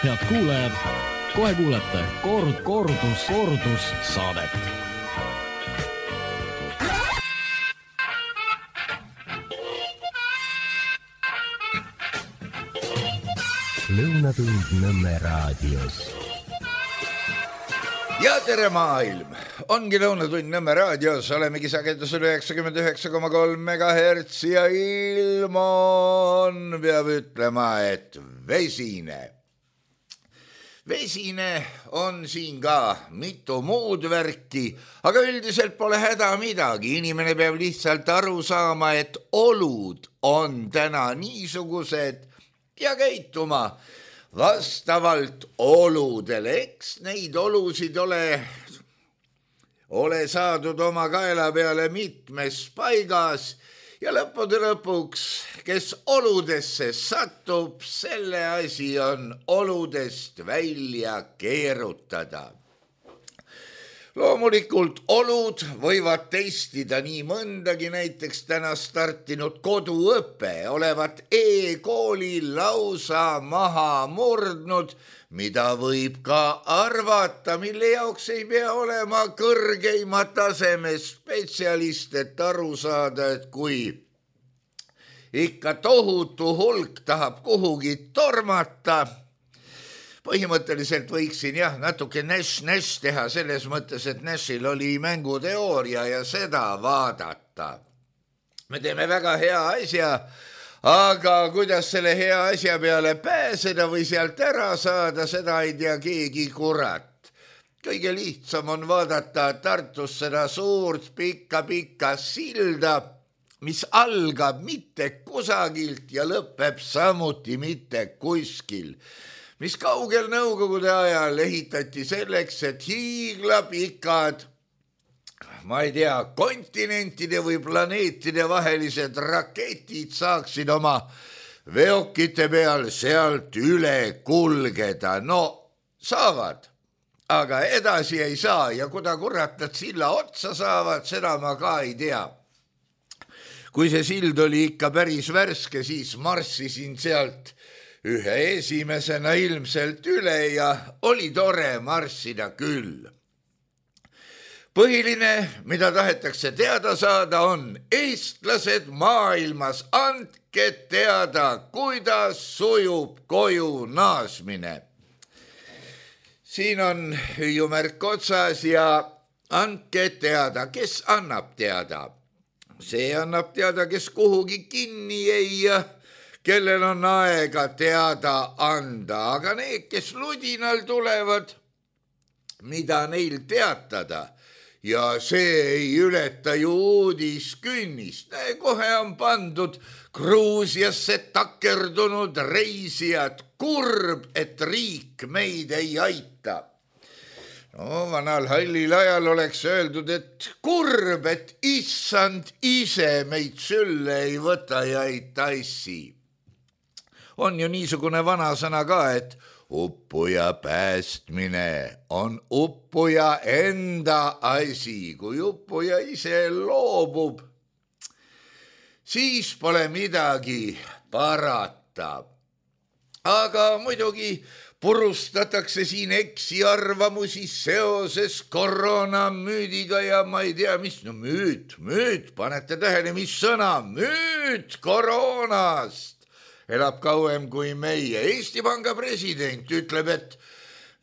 Head kuulajad, kohe kuulete kordus saadet. Lõunatund Nõmme raadios. Ja tere maailm! Ongi Lõunatund Nõmme raadios, olemegi sagedusel 99,3 MHz ja ilm on, peab ütlema, et vesine. Vesine on siin ka mitu muud värki, aga üldiselt pole häda midagi. Inimene peab lihtsalt aru saama, et olud on täna niisugused ja käituma vastavalt oludele. Eks neid olusid ole saadud oma kaela peale mitmes paigas ja lõppude lõpuks, kes oludesse satub, selle asi on oludest välja keerutada. Loomulikult olud võivad testida nii mõndagi, näiteks täna startinud koduõpe olevat e-kooli lausa maha murdnud, mida võib ka arvata, mille jaoks ei pea olema kõrgeima taseme spetsialist, et aru saada, et kui ikka tohutu hulk tahab kuhugi tormata, põhimõtteliselt võiksin natuke Nash teha selles mõttes, et Nashil oli mänguteooria ja seda vaadata. Me teeme väga hea asja, aga kuidas selle hea asja peale pääseda või sealt ära saada, seda ei tea keegi kurat. Kõige lihtsam on vaadata Tartus seda suurt pikka silda, mis algab mitte kusagilt ja lõpeb samuti mitte kuskil, mis kaugel nõukogude ajal ehitati selleks, et hiiglapikad, ma ei tea, kontinentide või planeetide vahelised raketid saaksid oma veokite peal sealt üle kulgeda. No saavad, aga edasi ei saa ja kuda kurat nad silla otsa saavad, seda ma ka ei tea. Kui see sild oli ikka päris värske, siis marssisin sealt ühe esimesena ilmselt üle ja oli tore marssida küll. Põhiline, mida tahetakse teada saada, on eestlased maailmas. Andke teada, kuidas sujub koju naasmine. Siin on hüüumärk otsas ja andke teada, kes annab teada. See annab teada, kes kuhugi kinni ei kellel on aega teada anda, aga need, kes ludinal tulevad, mida neil teatada, ja see ei ületa ju uudiskünnist. Kohe on pandud Gruusiasse takerdunud reisijad, kurb, et riik meid ei aita. No, vanal hallil ajal oleks öeldud, et kurb, et issand ise meid sülle ei võta ja ei tassi. On ju niisugune vanasõna ka, et uppuja päästmine on uppuja enda asi. Kui uppuja ise loobub, siis pole midagi parata. Aga muidugi purustatakse siin eksiarvamusi seoses koroonamüüdiga ja ma ei tea, mis, no müüt, panete tähele, mis sõna, müüt koroonast. Elab kauem kui meie. Eesti Panga president ütleb, et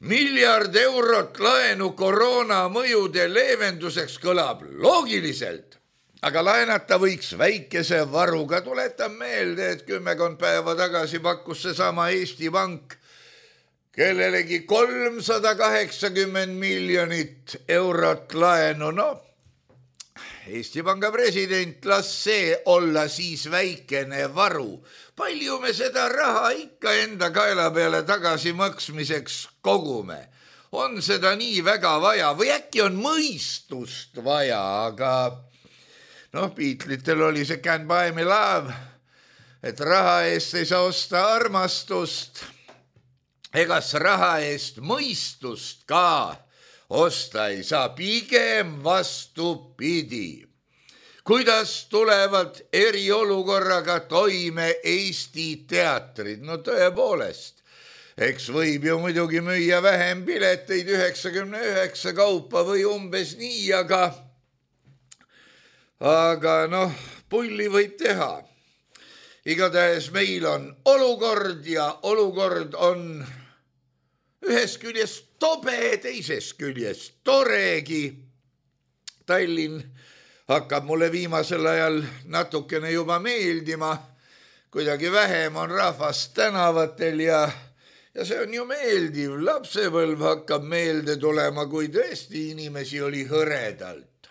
1 miljard eurot laenu koroona mõjude leevenduseks kõlab loogiliselt, aga laenata võiks väikese varuga. Tuletan meelde, et 10 päeva tagasi pakkus seesama Eesti Pank kellelegi 380 miljonit eurot laenu. No, Eesti Panga president, las see olla siis väikene varu. Palju me seda raha ikka enda kaela peale tagasi maksmiseks kogume? On seda nii väga vaja või äkki on mõistust vaja, aga Beatlitel oli see Can't Buy Me Love, et raha eest ei saa osta armastust, egas raha eest mõistust ka osta ei saa, pigem vastupidi. Kuidas tulevad eriolukorraga toime Eesti teatrid? No tõepoolest, Eks võib ju muidugi müüa vähem pileteid 99 kaupa või umbes nii, aga noh, pulli võib teha. Igatahes meil on olukord ja olukord on ühest küljest tobe, teisest küljest toregi. Tallinn hakkab mulle viimasel ajal natukene juba meeldima, kuidagi vähem on rahvast tänavatel ja see on ju meeldiv, lapsepõlv hakkab meelde tulema, kui tõesti inimesi oli hõredalt.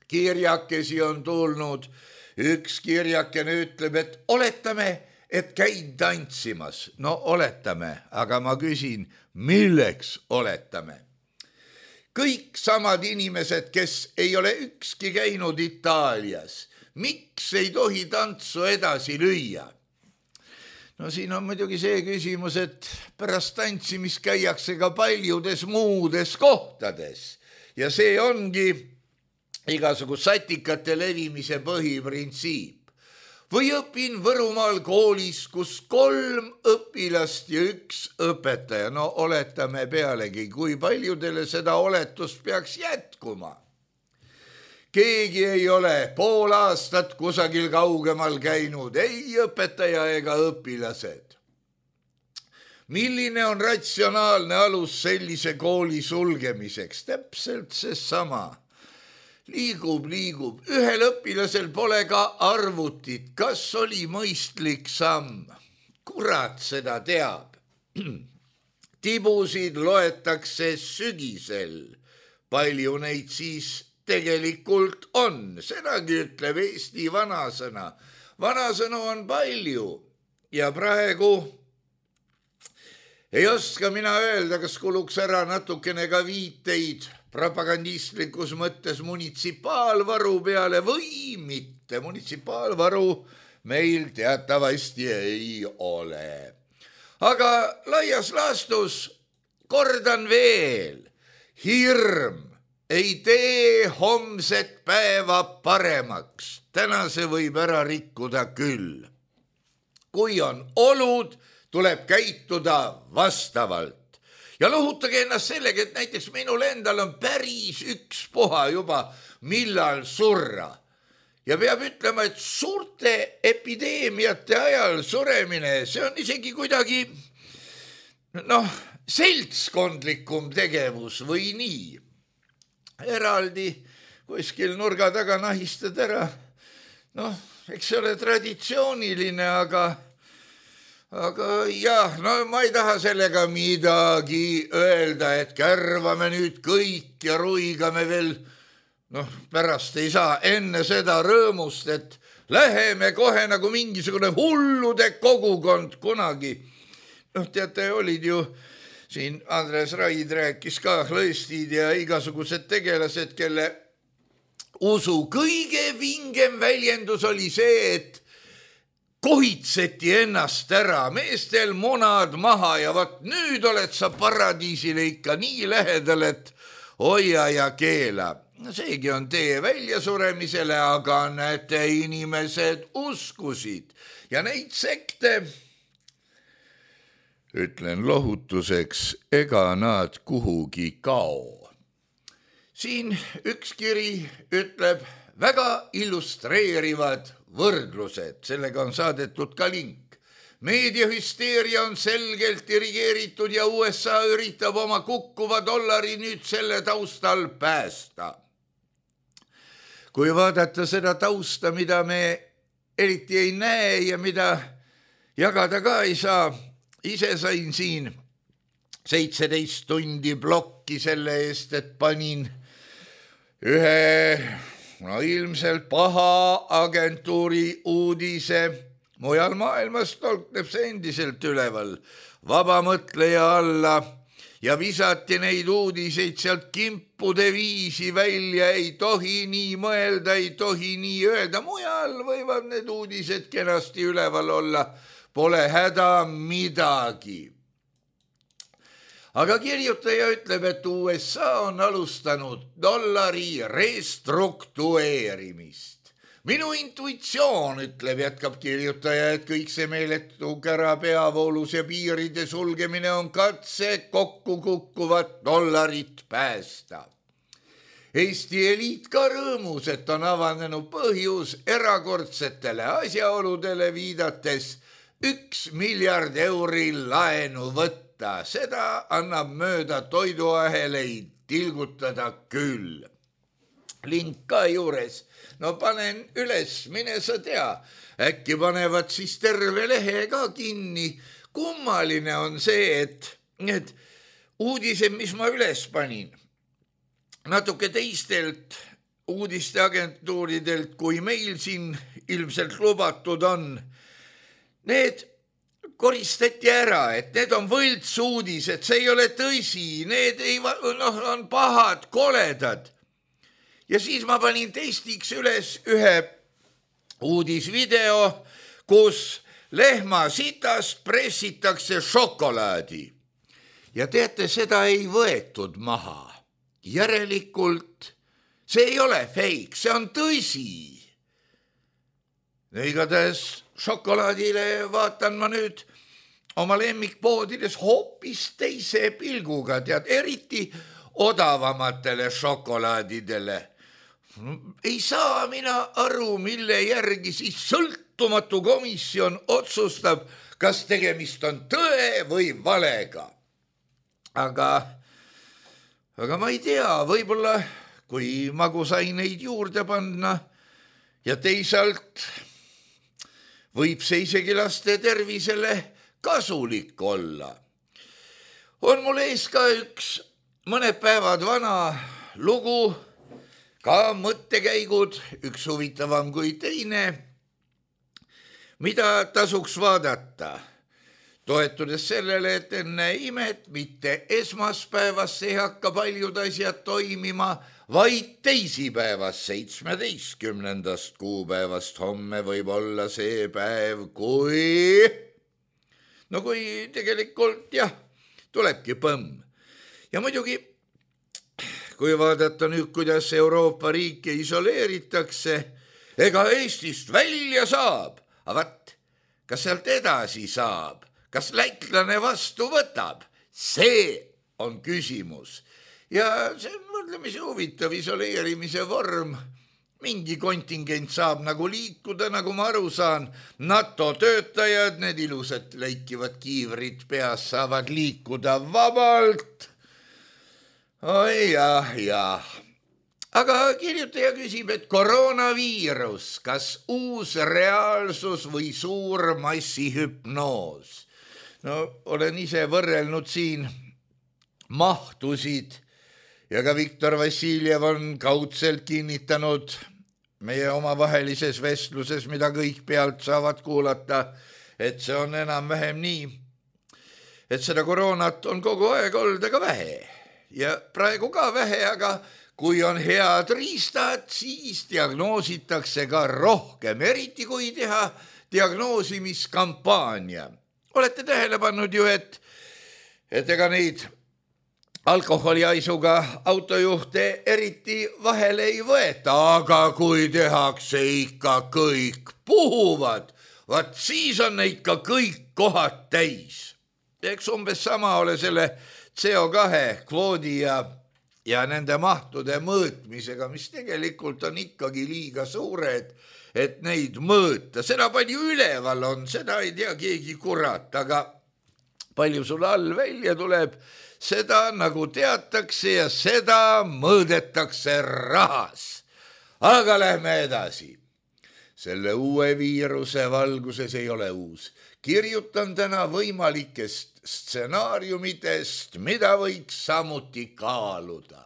Kirjakesi on tulnud, üks kirjakene ütleb, et oletame, et käid tantsimas. No oletame, aga ma küsin, milleks oletame? Kõik samad inimesed, kes ei ole ükski käinud Itaalias, miks ei tohi tantsu edasi lüüa? No siin on muidugi see küsimus, et pärast tantsimist käiakse ka paljudes muudes kohtades ja see ongi igasugu satikate levimise põhiprintsiip. Või õpin Võrumaal koolis, kus 3 õpilast ja 1 õpetaja. No oletame pealegi, kui paljudele seda oletust peaks jätkuma. Keegi ei ole pool aastat kusagil kaugemal käinud, ei õpetaja ega õpilased. Milline on ratsionaalne alus sellise kooli sulgemiseks? Täpselt seesama. Liigub. Ühel õpilasel pole ka arvutit. Kas oli mõistlik samm? Kurat seda teab. Tibusid loetakse sügisel. Palju neid siis tegelikult on, sedagi ütleb Eesti vanasõna. Vanasõnu on palju ja praegu ei oska mina öelda, kas kuluks ära natukene ka viiteid propagandistlikus mõttes munitsipaalvaru peale või mitte. Munitsipaalvaru meil teatavasti ei ole. Aga laias laastus kordan veel, hirm ei tee homset päeva paremaks. Tänase võib ära rikkuda küll. Kui on olud, tuleb käituda vastavalt. Ja lohutage ennast sellega, et näiteks minul endal on päris ükspuha juba, millal surra. Ja peab ütlema, et suurte epideemiate ajal suremine, see on isegi kuidagi seltskondlikum tegevus või nii. Eraldi kuskil nurga taga nahistad ära. Eks see ole traditsiooniline, aga jah, ma ei taha sellega midagi öelda, et kärvame nüüd kõik ja ruigame veel. Pärast ei saa enne seda rõõmust, et läheme kohe nagu mingisugune hullude kogukond kunagi. Teate, olid ju siin Andres Raid rääkis ka lõistid ja igasugused tegelased, kelle usu kõige vingem väljendus oli see, et kohitseti ennast ära, meestel munad maha ja vaat nüüd oled sa paradiisile ikka nii lähedal, et hoia ja keela. Seegi on tee väljasuremisele, aga näete, inimesed uskusid ja neid sekte, ütlen lohutuseks, ega nad kuhugi kao. Siin üks kiri ütleb väga illustreerivad võrdlused, sellega on saadetud ka link. Meediahüsteeria on selgelt dirigeeritud ja USA üritab oma kukkuva dollari nüüd selle taustal päästa. Kui vaadata seda tausta, mida me eriti ei näe ja mida jagada ka ei saa, ise sain siin 17 tundi blokki selle eest, et panin ühe ilmselt paha agentuuri uudise. Mujal maailmas tolkneb see endiselt üleval vabamõtleja alla ja visati neid uudiseid sealt kimpude viisi välja. Ei tohi nii mõelda, ei tohi nii öelda. Mujal võivad need uudised kenasti üleval olla. Pole häda midagi. Aga kirjutaja ütleb, et USA on alustanud dollari restruktueerimist. minu intuitsioon ütleb, jätkab kirjutaja, et kõik see meeletu kära peavoolus ja piiride sulgemine on katse kokku kukkuvat dollarit päästa. Eesti eliit ka rõõmus, et on avanenud põhjus erakordsetele asjaoludele viidates 1 miljard euri laenu võtta. Seda annab mööda toiduaheleid tilgutada küll. Link ka juures. No panen üles, mine sa tea. Äkki panevad siis terve lehe ka kinni. Kummaline on see, et need uudised, mis ma üles panin, natuke teistelt uudisteagentuuridelt, kui meil siin ilmselt lubatud on, need koristati ära, et need on võltsuudised, see ei ole tõsi, need on pahad, koledad. Ja siis ma panin testiks üles ühe uudisvideo, kus lehma sitast pressitakse šokolaadi. Ja teate, seda ei võetud maha. Järelikult see ei ole fake, see on tõsi. Igatahes šokolaadile vaatan ma nüüd oma lemmikpoodides hoopis teise pilguga, tead, eriti odavamatele šokolaadidele. Ei saa mina aru, mille järgi siis sõltumatu komisjon otsustab, kas tegemist on tõe või valega. Aga ma ei tea, võib-olla kui magusaineid juurde panna ja teisalt võib see isegi laste tervisele kasulik olla. On mul ees ka üks mõned päevad vana lugu, ka mõttekäigud, üks huvitavam kui teine, mida tasuks vaadata. Toetudes sellele, et enne imet mitte esmaspäevast ei hakka paljud asjad toimima, vaid teisipäevast 17. kuupäevast homme võib olla see päev, kui tegelikult jah, tulebki põmm. Ja muidugi, kui vaadata nüüd, kuidas Euroopa riike isoleeritakse, ega Eestist välja saab, aga kas sealt edasi saab? Kas lätlane vastu võtab? See on küsimus. Ja see on mõtlemisi huvitav isoleerimise vorm. Mingi kontingent saab nagu liikuda, nagu ma aru saan. NATO töötajad, need ilusad leikivad kiivrid peas saavad liikuda vabalt. Oi jah. Aga kirjutaja küsib, et koroonaviirus, kas uus reaalsus või suur massihüpnoos? No olen ise võrrelnud siin mahtusid ja ka Viktor Vassiljev on kaudselt kinnitanud meie omavahelises vestluses, mida kõik pealt saavad kuulata, et see on enam-vähem nii, et seda koroonat on kogu aeg olnud aga vähe ja praegu ka vähe, aga kui on head riistad, siis diagnoositakse ka rohkem, eriti kui teha diagnoosimiskampaania. Olete tähele pannud ju, et ega neid alkoholiaisuga autojuhte eriti vahele ei võeta, aga kui tehakse ikka kõik puhuvad, vaat siis on ikka kõik kohad täis. Eks umbes sama ole selle CO2 kvoodi ja nende mahtude mõõtmisega, mis tegelikult on ikkagi liiga suured, et neid mõõta. Seda palju üleval on, seda ei tea keegi kurat, aga palju sul all välja tuleb, seda nagu teatakse ja seda mõõdetakse rahas. Aga lähme edasi. Selle uue viiruse valguses ei ole uus. Kirjutan täna võimalikest stsenaariumitest, mida võiks samuti kaaluda.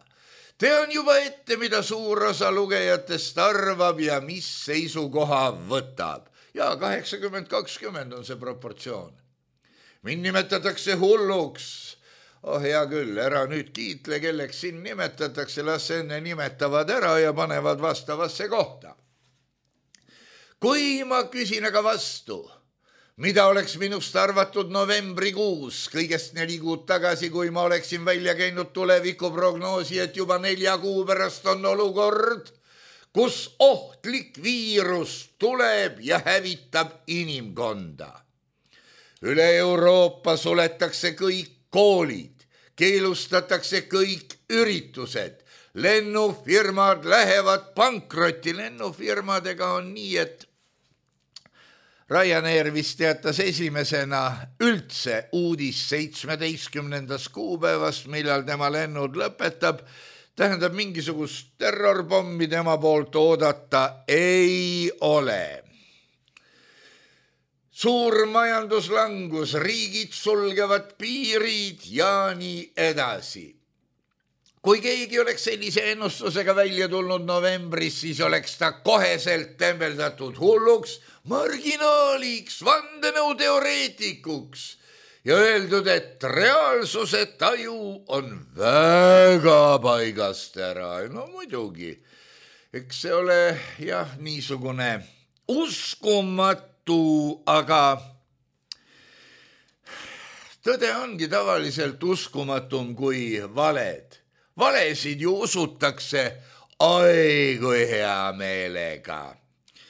Tean juba ette, mida suur osa lugejatest arvab ja mis seisukoha võtab. Ja 80-20 on see proportsioon. Mind nimetatakse hulluks. Hea küll, ära nüüd kiitle, kelleks siin nimetatakse, las enne nimetavad ära ja panevad vastavasse kohta. Kui ma küsin aga vastu, mida oleks minust arvatud novembrikuus, kõigest 4 kuud tagasi, kui ma oleksin välja käinud tulevikuprognoosi, et juba 4 kuu pärast on olukord kus ohtlik viirus tuleb ja hävitab inimkonda. Üle Euroopa suletakse kõik koolid, keelustatakse kõik üritused, lennufirmad lähevad pankrotti. Lennufirmadega on nii, et Ryanair vist teatas esimesena üldse uudis 17. kuupäevast, millal tema lennud lõpetab. Tähendab, mingisugust terrorpommi tema poolt oodata ei ole. Suur majanduslangus, riigid sulgevad piirid ja nii edasi. Kui keegi oleks sellise ennustusega välja tulnud novembris, siis oleks ta koheselt tembeldatud hulluks, marginaaliks, vandenõuteoreetikuks ja öeldud, et reaalsuse taju on väga paigast ära. No muidugi, eks see ole jah niisugune uskumatu, aga tõde ongi tavaliselt uskumatum kui valed. Valesid ju usutakse ai kui hea meelega.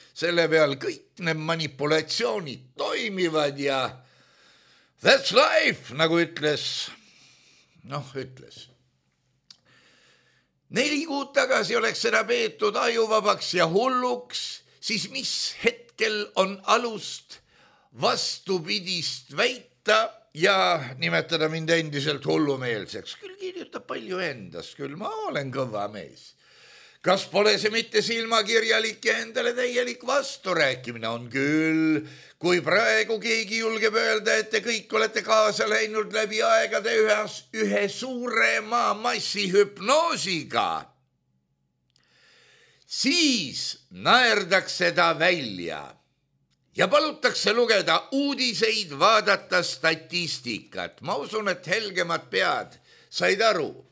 Selle peal kõik need manipulatsioonid toimivad ja that's life, nagu ütles. 4 kuud tagasi oleks seda peetud ajuvabaks ja hulluks, siis mis hetkel on alust vastupidist väita ja nimetada mind endiselt hullumeelseks. Küll kirjutab palju endast, küll ma olen kõva mees. Kas pole see mitte silmakirjalik ja endale täielik vasturääkimine? On küll, kui praegu keegi julgeb öelda, et te kõik olete kaasa läinud läbi aegade ühe suurema massihüpnoosiga, siis naerdakse ta välja ja palutakse lugeda uudiseid, vaadata statistikat. Ma usun, et helgemad pead said aru,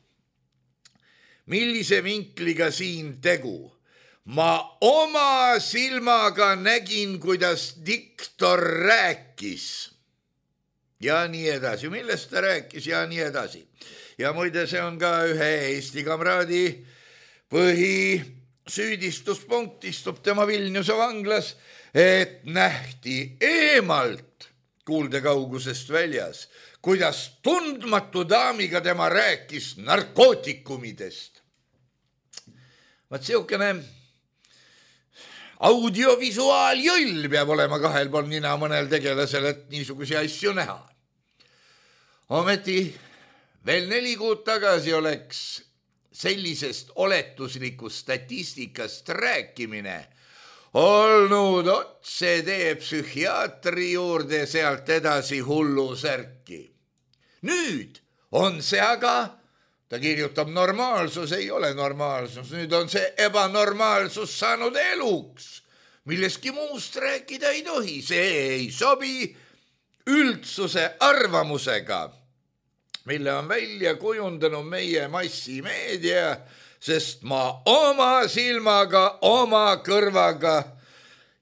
millise vinkliga siin tegu. Ma oma silmaga nägin, kuidas diktor rääkis ja nii edasi. Millest ta rääkis ja nii edasi. Ja muide, see on ka ühe Eesti kamraadi põhisüüdistuspunkt, istub tema Vilniuse vanglas, et nähti eemalt kuuldekaugusest väljas, kuidas tundmatu daamiga tema rääkis narkootikumidest. Vaat siukene audiovisuaaljõll peab olema kahel pool nina mõnel tegelasel, et niisugusi asju näha. Ometi veel 4 kuud tagasi oleks sellisest oletuslikust statistikast rääkimine olnud otsetee psühhiaatri juurde, sealt edasi hullusärki. Nüüd on see aga, ta kirjutab normaalsus, ei ole normaalsus, nüüd on see ebanormaalsus saanud eluks, milleski muust rääkida ei tohi, see ei sobi üldsuse arvamusega, mille on välja kujundanud meie massimeedia, sest ma oma silmaga, oma kõrvaga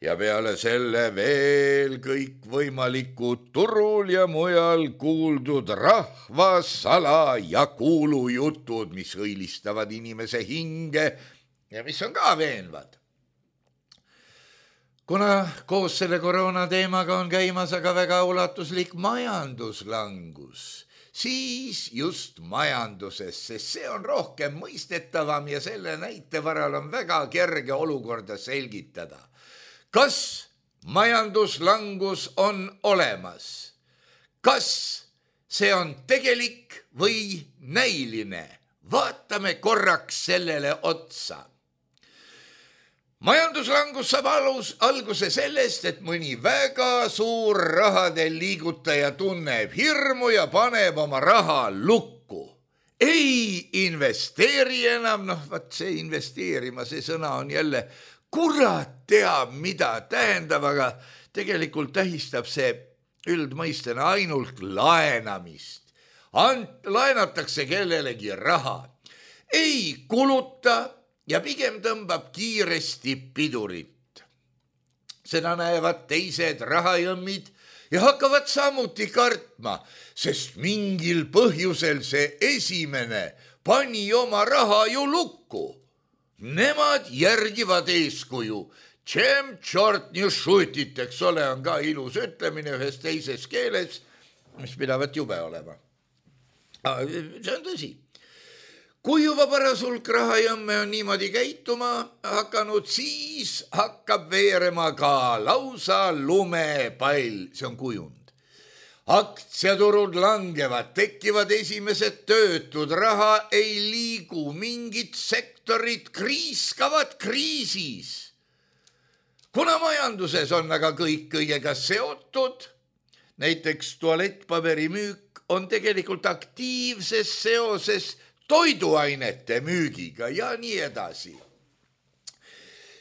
ja peale selle veel kõik võimalikud turul ja mujal kuuldud rahvasala ja kuulujutud, mis õilistavad inimese hinge ja mis on ka veenvad. Kuna koos selle koroona teemaga on käimas aga väga ulatuslik majanduslangus, siis just majanduses, sest see on rohkem mõistetavam ja selle näite varal on väga kerge olukorda selgitada. Kas majanduslangus on olemas? Kas see on tegelik või näiline? Vaatame korraks sellele otsa. Majanduslangus saab alguse sellest, et mõni väga suur rahadel liigutaja tunneb hirmu ja paneb oma raha lukku. Ei investeeri enam, vaat see investeerima, see sõna on jälle kurat teab, mida tähendab, aga tegelikult tähistab see üldmõistena ainult laenamist. Laenatakse kellelegi raha, ei kuluta ja pigem tõmbab kiiresti pidurit. Seda näevad teised rahajõmmid ja hakkavad samuti kartma, sest mingil põhjusel see esimene pani oma raha ju lukku. nemad järgivad eeskuju. Чем черт не šutit, eks ole, on ka ilus ütlemine ühes teises keeles, mis pidavat jube olema. See on tõsi. Kui juba paras hulk rahajõmme on niimoodi käituma hakanud, siis hakkab veerema ka lausa lumepall, see on kujund. Aktsiaturud langevad, tekivad esimesed töötud, raha ei liigu, mingid sektorid kriiskavad kriisis. Kuna majanduses on aga kõik kõigega seotud, näiteks tualettpaberi müük on tegelikult aktiivses seoses toiduainete müügiga ja nii edasi,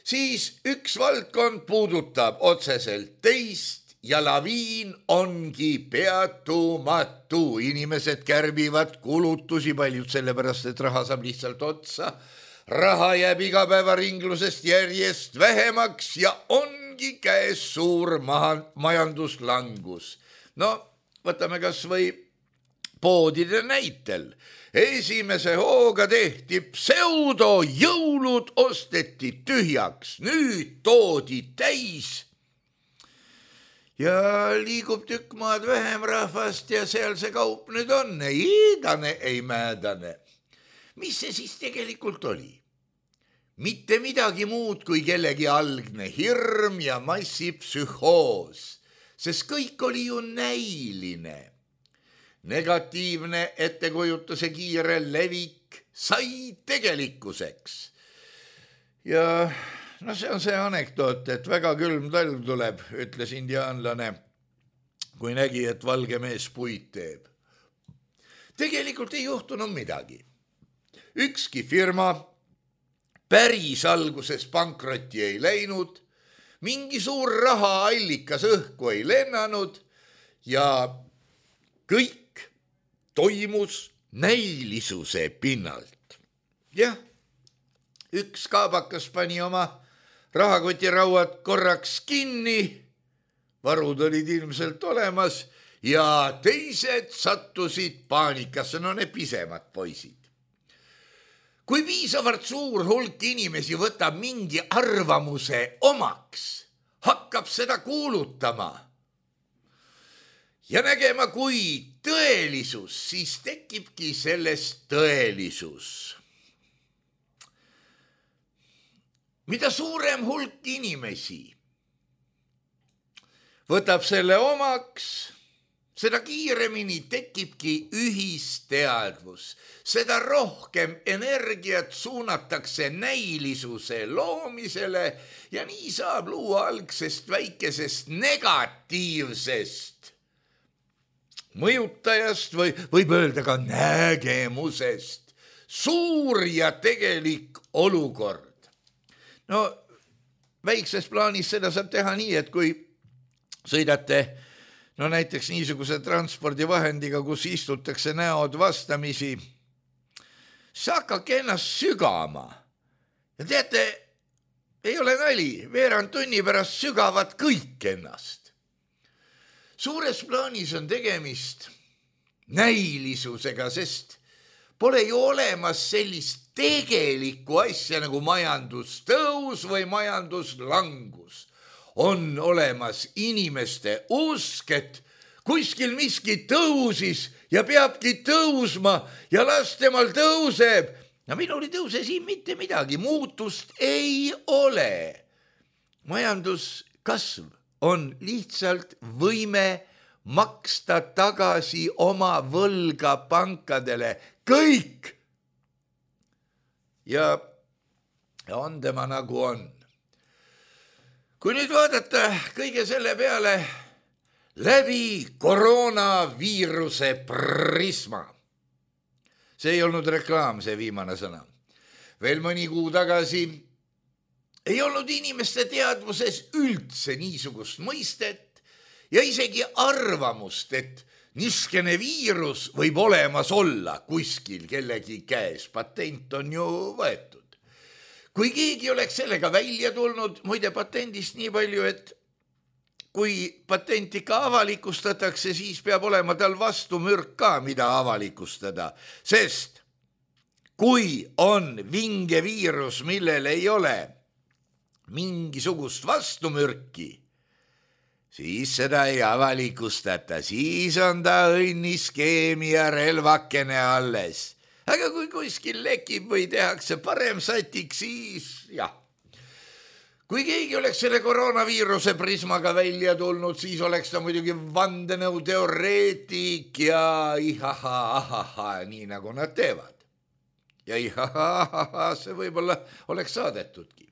siis üks valdkond puudutab otseselt teist ja laviin ongi peatumatu. Inimesed kärbivad kulutusi, paljud sellepärast, et raha saab lihtsalt otsa. Raha jääb igapäevaringlusest järjest vähemaks ja ongi käes suur majanduslangus. No, võtame kas või poodide näitel. Esimese hooga tehti pseudojõulud, osteti tühjaks, nüüd toodi täis ja liigub tükk maad vähem rahvast ja seal see kaup nüüd on, ei iidane, ei määdane. Mis see siis tegelikult oli? Mitte midagi muud kui kellegi algne hirm ja massipsühhoos, sest kõik oli ju näiline. Negatiivne ettekujutuse kiire levik sai tegelikkuseks. Ja no see on see anekdoot, et väga külm talv tuleb, ütles indiaanlane, kui nägi, et valge mees puid teeb. Tegelikult ei juhtunud midagi. Ükski firma päris alguses pankrotti ei läinud, mingi suur rahaallikas õhku ei lennanud ja kõik toimus näilisuse pinnalt. Jah, üks kaabakas pani oma rahakotirauad korraks kinni, varud olid ilmselt olemas ja teised sattusid paanikasse, no need pisemad poisid. Kui piisavalt suur hulk inimesi võtab mingi arvamuse omaks, hakkab seda kuulutama ja nägema kui tõelisus, siis tekibki sellest tõelisus. Mida suurem hulk inimesi võtab selle omaks, seda kiiremini tekibki ühisteadvus, seda rohkem energiat suunatakse näilisuse loomisele ja nii saab luua algsest väikesest negatiivsest mõjutajast või võib öelda ka nägemusest suur ja tegelik olukord. No väikses plaanis seda saab teha nii, et kui sõidate näiteks niisuguse transpordivahendiga, kus istutakse näod vastamisi, siis hakkake ennast sügama. Ja teate, ei ole nali, veerand tunni pärast sügavad kõik ennast. Suures plaanis on tegemist näilisusega, sest pole ju olemas sellist tegelikku asja nagu majandustõus või majanduslangus. On olemas inimeste usk, et kuskil miski tõusis ja peabki tõusma ja las temal tõuseb. No minul ei tõuse siin mitte midagi, muutust ei ole. Majanduskasv on lihtsalt võime maksta tagasi oma võlga pankadele. Kõik! Ja on tema nagu on. Kui nüüd vaadata kõige selle peale läbi koroonaviiruse prisma. See ei olnud reklaam, see viimane sõna. Veel mõni kuu tagasi ei olnud inimeste teadvuses üldse niisugust mõistet ja isegi arvamust, et niskene viirus võib olemas olla kuskil kellegi käes. Patent on ju võetud. Kui keegi oleks sellega välja tulnud, muide patendist nii palju, et kui patent ikka avalikustatakse, siis peab olema tal vastu mürk ka, mida avalikustada. Sest kui on vinge viirus, millel ei ole mingisugust vastumürki, siis seda ei avalikustata, siis on ta õnniskeemi ja relvakene alles. Aga kui kuskil lekib või tehakse parem satik, siis jah. Kui keegi oleks selle koroonaviiruse prismaga välja tulnud, siis oleks ta muidugi vandenõuteoreetik ja ihaha, nii nagu nad teevad. Ja ihaha, see võib-olla oleks saadetudki.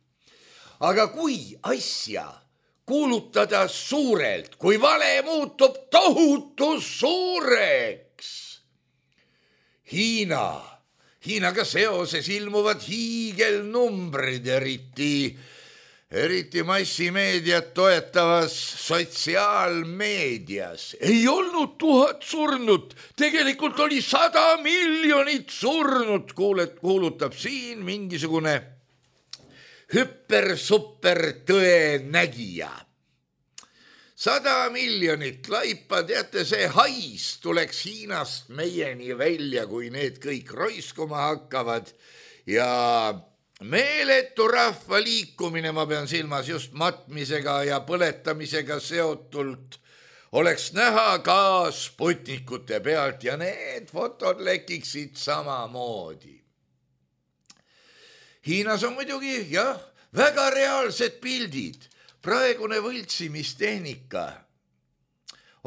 Aga kui asja kuulutada suurelt, kui vale muutub tohutu suureks, Hiinaga seoses ilmuvad hiigelnumbrid, eriti massimeediat toetavas sotsiaalmeedias. Ei olnud 1000 surnut, tegelikult oli 100 miljonit surnut, kuulutab siin mingisugune hüper-super tõenägija. 100 miljonit laipa, teate, see hais tuleks Hiinast meieni välja, kui need kõik roiskuma hakkavad ja meeletu rahva liikumine, ma pean silmas just matmisega ja põletamisega seotult, oleks näha ka Sputnikute pealt ja need fotod lekiksid samamoodi. Hiinas on muidugi, jah, väga reaalsed pildid. Praegune võltsimistehnika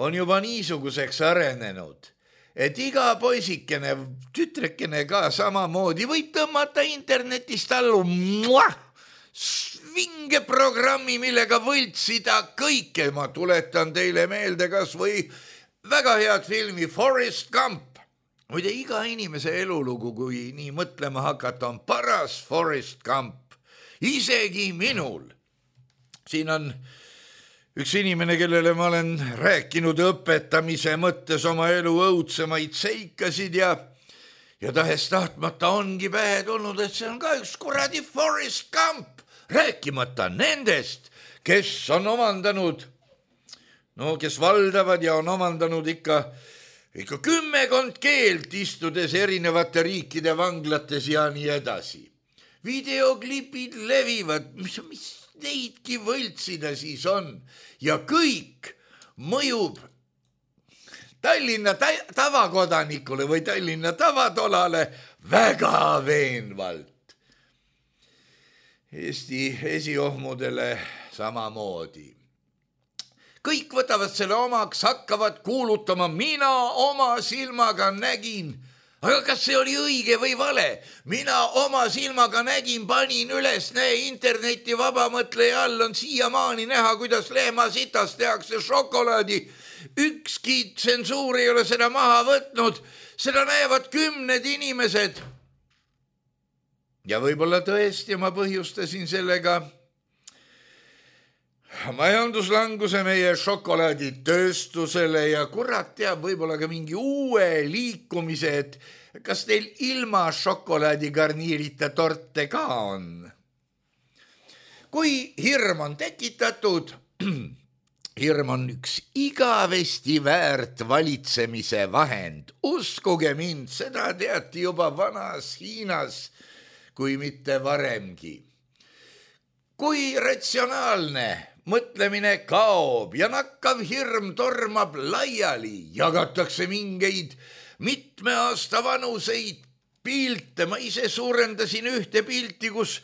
on juba niisuguseks arenenud, et iga poisikene, tütrekene ka samamoodi võib tõmmata internetist allu vinge programmi, millega võltsida kõike. Ma tuletan teile meelde kas või väga head filmi Forrest Gump. Muide, iga inimese elulugu, kui nii mõtlema hakata, on paras Forrest Gump. Isegi minul. Siin on üks inimene, kellele ma olen rääkinud õpetamise mõttes oma elu õudsemaid seikasid ja tahes tahtmata ongi pähe tulnud, et see on ka üks kuradi Forrest Gump, rääkimata nendest, kes on omandanud, kes valdavad ja on omandanud ikka 10 keelt, istudes erinevate riikide vanglates ja nii edasi. Videoklipid levivad, mis neidki võltsida siis on ja kõik mõjub Tallinna tavakodanikule või Tallinna tavatolale väga veenvalt. Eesti esiohmudele samamoodi. Kõik võtavad selle omaks, hakkavad kuulutama, mina oma silmaga nägin. Aga kas see oli õige või vale? Mina oma silmaga nägin, panin üles, interneti vabamõtleja all on siiamaani näha, kuidas lehmasitast tehakse šokolaadi. Ükski tsensuur ei ole seda maha võtnud, seda näevad 10 inimesed. Ja võib-olla tõesti ma põhjustasin sellega majanduslanguse meie šokolaaditööstusele ja kurat teab võib-olla ka mingi uue liikumise, et kas teil ilma šokolaadigarniirita torte ka on? Kui hirm on tekitatud, hirm on üks igavesti väärt valitsemise vahend. Uskuge mind, seda teati juba vanas Hiinas, kui mitte varemgi. Kui ratsionaalne mõtlemine kaob ja nakkav hirm tormab laiali, jagatakse mingeid mitme aasta vanuseid pilte. Ma ise suurendasin ühte pilti, kus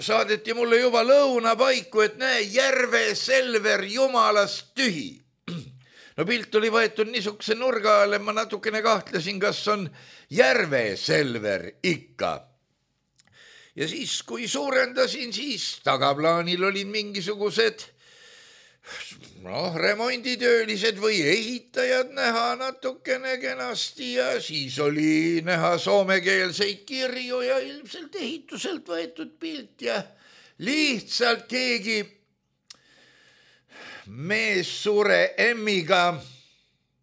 saadeti mulle juba lõunapaiku, et näe, Järve Selver jumalast tühi. No pilt oli võetud niisuguse nurga alle, ma natukene kahtlesin, kas on Järve Selver ikka. Ja siis, kui suurendasin, siis tagaplaanil olid mingisugused remonditöölised või ehitajad näha natukene kenasti ja siis oli näha soomekeelseid kirju ja ilmselt ehituselt võetud pilt ja lihtsalt keegi mees suure M-iga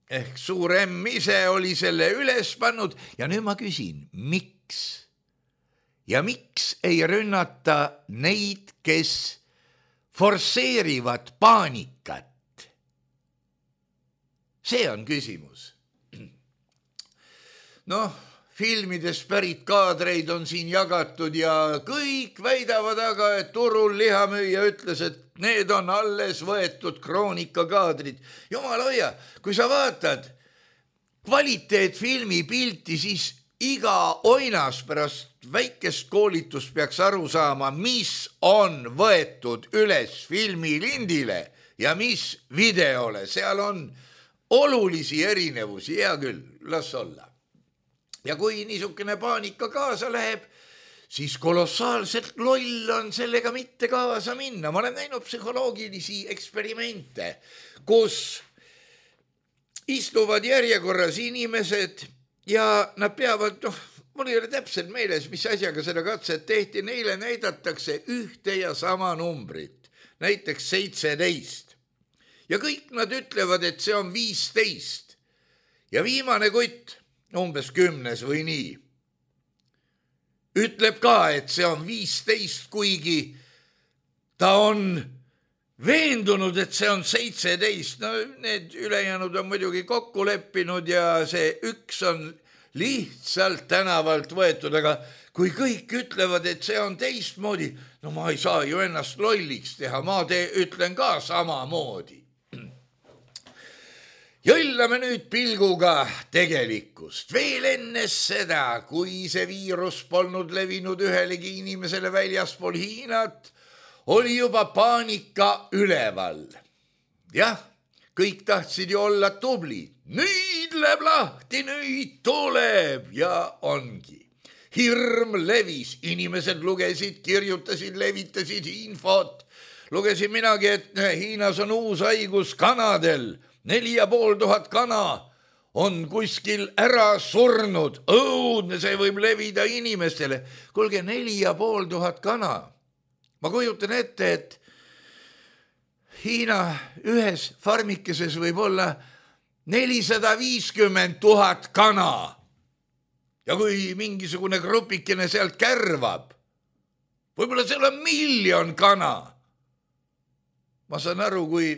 ehk suur M ise oli selle üles pannud ja nüüd ma küsin, miks? Ja miks ei rünnata neid, kes forsseerivad paanikat? See on küsimus. filmidest pärit kaadreid on siin jagatud ja kõik väidavad aga, et turul lihamüüja ütles, et need on alles võetud kroonikakaadrid. Jumal hoia, kui sa vaatad kvaliteetfilmi pilti, siis iga oinas pärast väikest koolitust peaks aru saama, mis on võetud üles filmilindile ja mis videole. Seal on olulisi erinevusi, hea küll, las olla. Ja kui niisugune paanika kaasa läheb, siis kolossaalselt loll on sellega mitte kaasa minna. Ma olen näinud psühholoogilisi eksperimente, kus istuvad järjekorras inimesed ja nad peavad, mul ei ole täpselt meeles, mis asjaga seda katset tehti, neile näidatakse ühte ja sama numbrit, näiteks 17. Ja kõik nad ütlevad, et see on 15. Ja viimane kutt, umbes 10 või nii, ütleb ka, et see on 15, kuigi ta on veendunud, et see on 17. No need ülejäänud on muidugi kokku leppinud ja see üks on lihtsalt tänavalt võetud, aga kui kõik ütlevad, et see on teistmoodi, no ma ei saa ju ennast lolliks teha, ma ütlen ka samamoodi. Jõllame nüüd pilguga tegelikkust. Veel enne seda, kui see viirus polnud levinud ühelegi inimesele väljaspool Hiinat, oli juba paanika üleval. Jah, kõik tahtsid ju olla tublid. Nüüd läheb lahti, nüüd tuleb ja ongi. Hirm levis, inimesed lugesid, kirjutasid, levitasid infot. Lugesin minagi, et Hiinas on uus haigus kanadel. 4500 kana on kuskil ära surnud. Õudne, see võib levida inimestele. Kuulge, 4500 kana. Ma kujutan ette, et Hiina ühes farmikeses võib olla 450 000 kana. Ja kui mingisugune grupikene sealt kärvab, võib-olla seal on 1 miljon kana. Ma saan aru, kui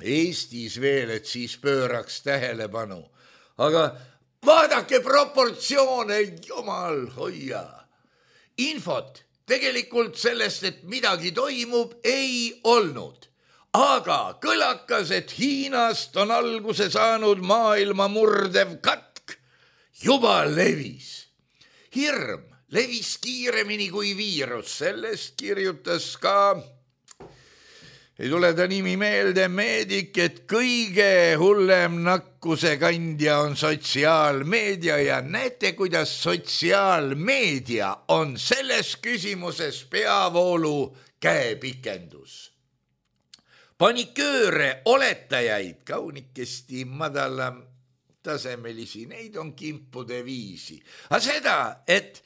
Eestis veel, et siis pööraks tähelepanu. Aga vaadake proportsioone, jumal hoia. Infot tegelikult sellest, et midagi toimub, ei olnud. Aga kõlakas, et Hiinast on alguse saanud maailma murdev katk, juba levis. Hirm levis kiiremini kui viirus, sellest kirjutas ka ei tule ta nimi meelde, meedik, et kõige hullem nakkuse kandja on sotsiaalmeedia ja näete, kuidas sotsiaalmeedia on selles küsimuses peavoolu käepikendus. Panikööre, oletajaid, kaunikesti madala tasemelisi, neid on kimpude viisi. Aga seda, et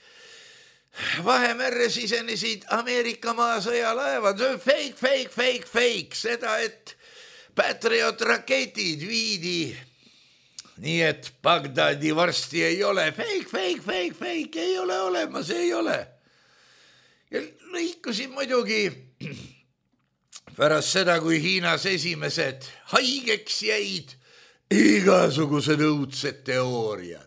Vahemerre sisenesid Ameerika maasõjalaevad, fake, seda, et Patriot raketid viidi, nii et Bagdadi varsti ei ole, fake, ei ole olemas, ei ole. Ja lõikusid muidugi pärast seda, kui Hiinas esimesed haigeks jäid, igasugused õudsed teooriad.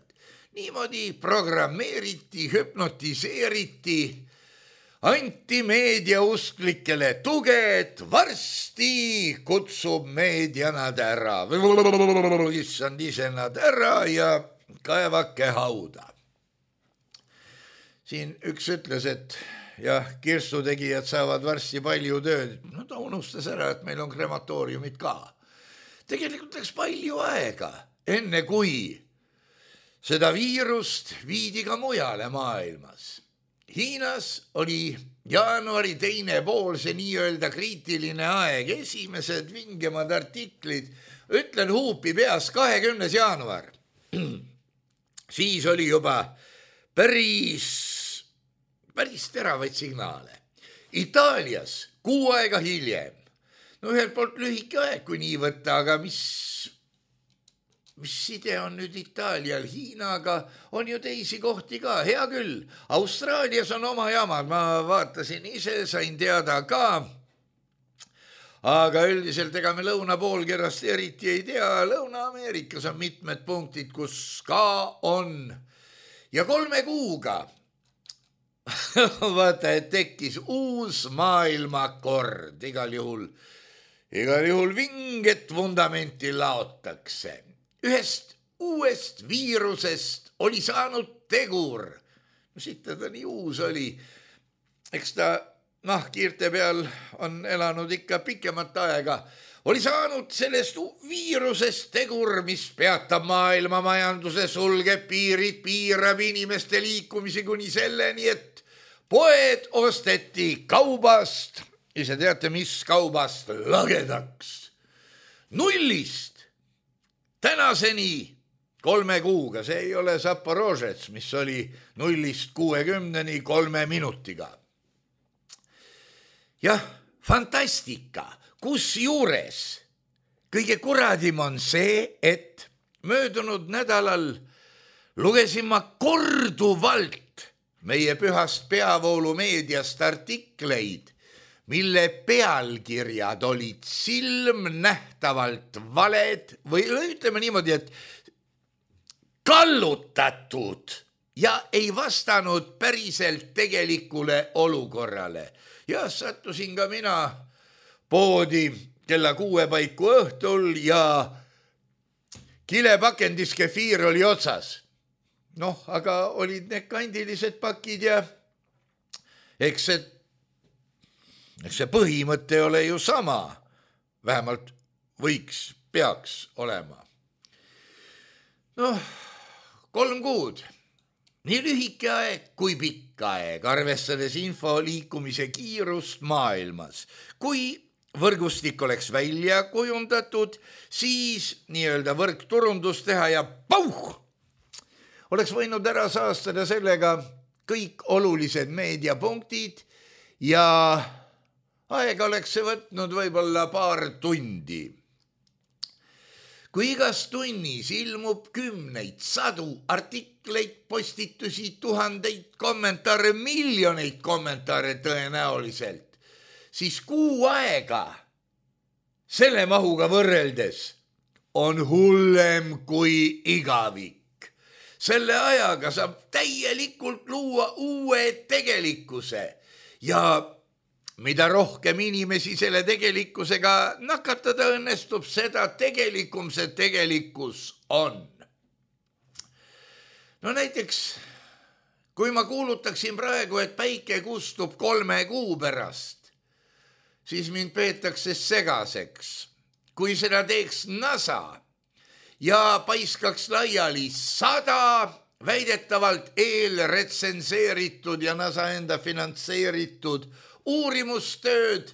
Niimoodi programmeeriti, hüpnotiseeriti, anti meediausklikele tuge, et varsti kutsub meedia nad ära. Issand ise nad ära ja kaevake hauda. Siin üks ütles, et jah, kirstutegijad saavad varsti palju tööd. No ta unustas ära, et meil on krematooriumid ka. Tegelikult läks palju aega, enne kui seda viirust viidi ka mujale maailmas. Hiinas oli jaanuari teine pool see nii-öelda kriitiline aeg, esimesed vingemad artiklid, ütlen huupi peas 20. jaanuar. Siis oli juba päris teravaid signaale. Itaalias 6 aega hiljem. No ühelt poolt lühike aeg, kui nii võtta, aga mis side on nüüd Itaalial Hiinaga, on ju teisi kohti ka, hea küll. Austraalias on oma jamad, ma vaatasin ise, sain teada ka. Aga üldiselt ega me lõunapoolkerast eriti ei tea. Lõuna-Ameerikas on mitmed punktid, kus ka on ja 3 kuuga vaata, et tekkis uus maailmakord, igal juhul vinget vundamenti laotakse. Ühest uuest viirusest oli saanud tegur. No siit ta nii uus oli. Eks ta nahkhiirte peal on elanud ikka pikemat aega. Oli saanud sellest viirusest tegur, mis peatab maailma majanduse, sulgeb piirid, piirab inimeste liikumisi kuni selleni, et poed osteti kaubast, ise teate, mis kaubast, lagedaks. 0-st tänaseni 3 kuuga, see ei ole Zaporožets, mis oli 0-st 60-ni 3 minutiga. Jah, fantastika. Kusjuures kõige kuradim on see, et möödunud nädalal lugesin ma korduvalt meie pühast peavoolumeediast artikleid, mille pealkirjad olid silmnähtavalt valed või ütleme niimoodi, et kallutatud ja ei vastanud päriselt tegelikule olukorrale. Ja sattusin ka mina poodi kella 6 paiku õhtul ja kilepakendis kefiir oli otsas. Noh, aga olid need kandilised pakid ja eks see põhimõte ei ole ju sama. Vähemalt peaks olema. Noh, 3 kuud. Nii lühike aeg kui pikk aeg, arvestades info liikumise kiirust maailmas. Kui võrgustik oleks välja kujundatud, siis nii-öelda võrkturundus teha ja pauh! Oleks võinud ära saastada sellega kõik olulised meediapunktid ja aega oleks see võtnud võib-olla 2 tundi. Kui igas tunnis ilmub 10, 100 artikleid, postitusi, 1000 kommentaare, miljoneid kommentaare tõenäoliselt, siis kuu aega selle mahuga võrreldes on hullem kui igavik. Selle ajaga saab täielikult luua uue tegelikkuse ja mida rohkem inimesi selle tegelikkusega nakatada õnnestub, seda tegelikum see tegelikkus on. No näiteks, kui ma kuulutaksin praegu, et päike kustub 3 kuu pärast, siis mind peetakse segaseks. Kui seda teeks NASA ja paiskaks laiali 100 väidetavalt eelretsenseeritud ja NASA enda finantseeritud uurimustööd,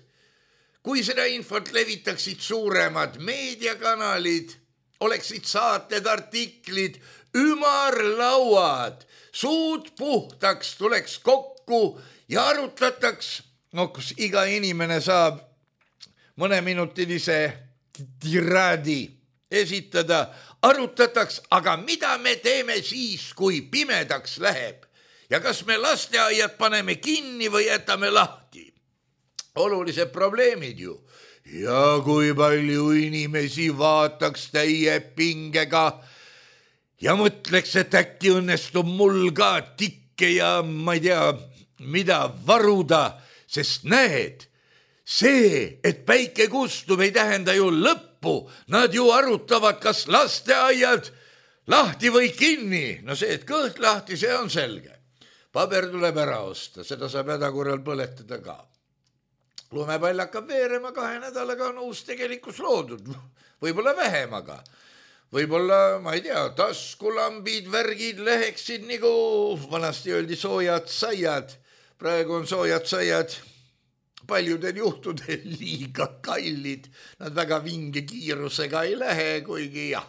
kui seda infot levitaksid suuremad meediakanalid, oleksid saated, artiklid, ümarlauad, suud puhtaks tuleks kokku ja arutataks, kus iga inimene saab mõneminutilise tiraadi esitada, arutataks, aga mida me teeme siis, kui pimedaks läheb? Ja kas me lasteaiad paneme kinni või jätame lahti? Olulised probleemid ju. Ja kui palju inimesi vaataks täie pingega ja mõtleks, et äkki õnnestub mul ka tikke ja ma ei tea, mida varuda, sest näed, see, et päike kustub, ei tähenda ju lõppu. Nad ju arutavad, kas lasteaiad lahti või kinni. No see, et kõht lahti, see on selge. Paber tuleb ära osta, seda saab hädakorral põletada ka. Lumepall hakkab veerema, 2 nädalaga on uus tegelikkus loodud. Võib-olla vähem, aga võib-olla, ma ei tea, taskulambid, värgid läheksid nagu vanasti öeldi soojad saiad. Praegu on soojad saiad paljudel juhtudel liiga kallid. Nad väga vinge kiirusega ei lähe, kuigi jah.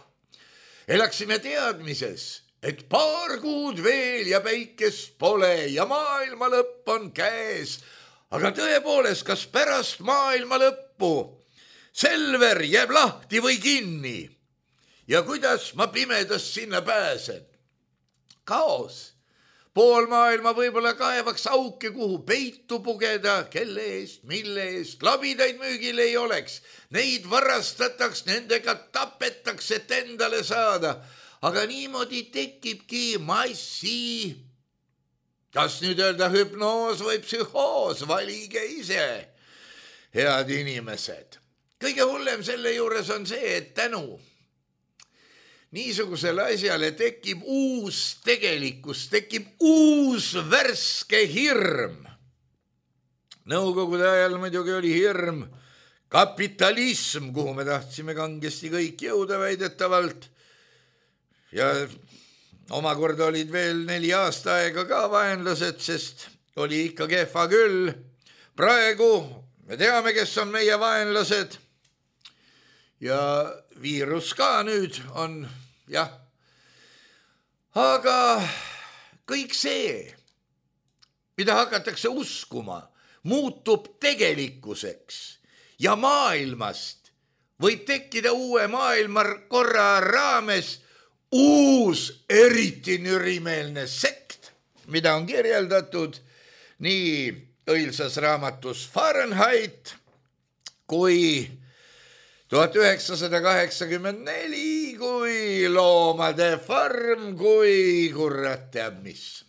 Elaksime teadmises, et 2 kuud veel ja päikest pole ja maailma lõpp on käes. Aga tõepoolest, kas pärast maailma lõppu Selver jääb lahti või kinni? Ja kuidas ma pimedast sinna pääsen? Kaos. Pool maailma võib-olla kaevaks auke, kuhu peitu pugeda, kelle eest, mille eest, labidaid müügil ei oleks. Neid varastataks, nendega tapetakse, et endale saada. aga niimoodi tekibki massi. Kas nüüd öelda hüpnoos või psühhoos, valige ise, head inimesed. Kõige hullem selle juures on see, et tänu niisugusele asjale tekib uus tegelikkus, tekib uus värske hirm. Nõukogude ajal muidugi oli hirm kapitalism, kuhu me tahtsime kangesti kõik jõuda väidetavalt. Ja omakorda olid veel 4 aasta aega ka vaenlased, sest oli ikka kehva küll. Praegu me teame, kes on meie vaenlased. Ja viirus ka nüüd on, jah. Aga kõik see, mida hakatakse uskuma, muutub tegelikkuseks ja maailmast võib tekkida uue maailmakorra raames uus eriti nürimeelne sekt, mida on kirjeldatud nii õilsas raamatus Fahrenheit kui 1984, kui Loomade farm, kui kurat teab mis.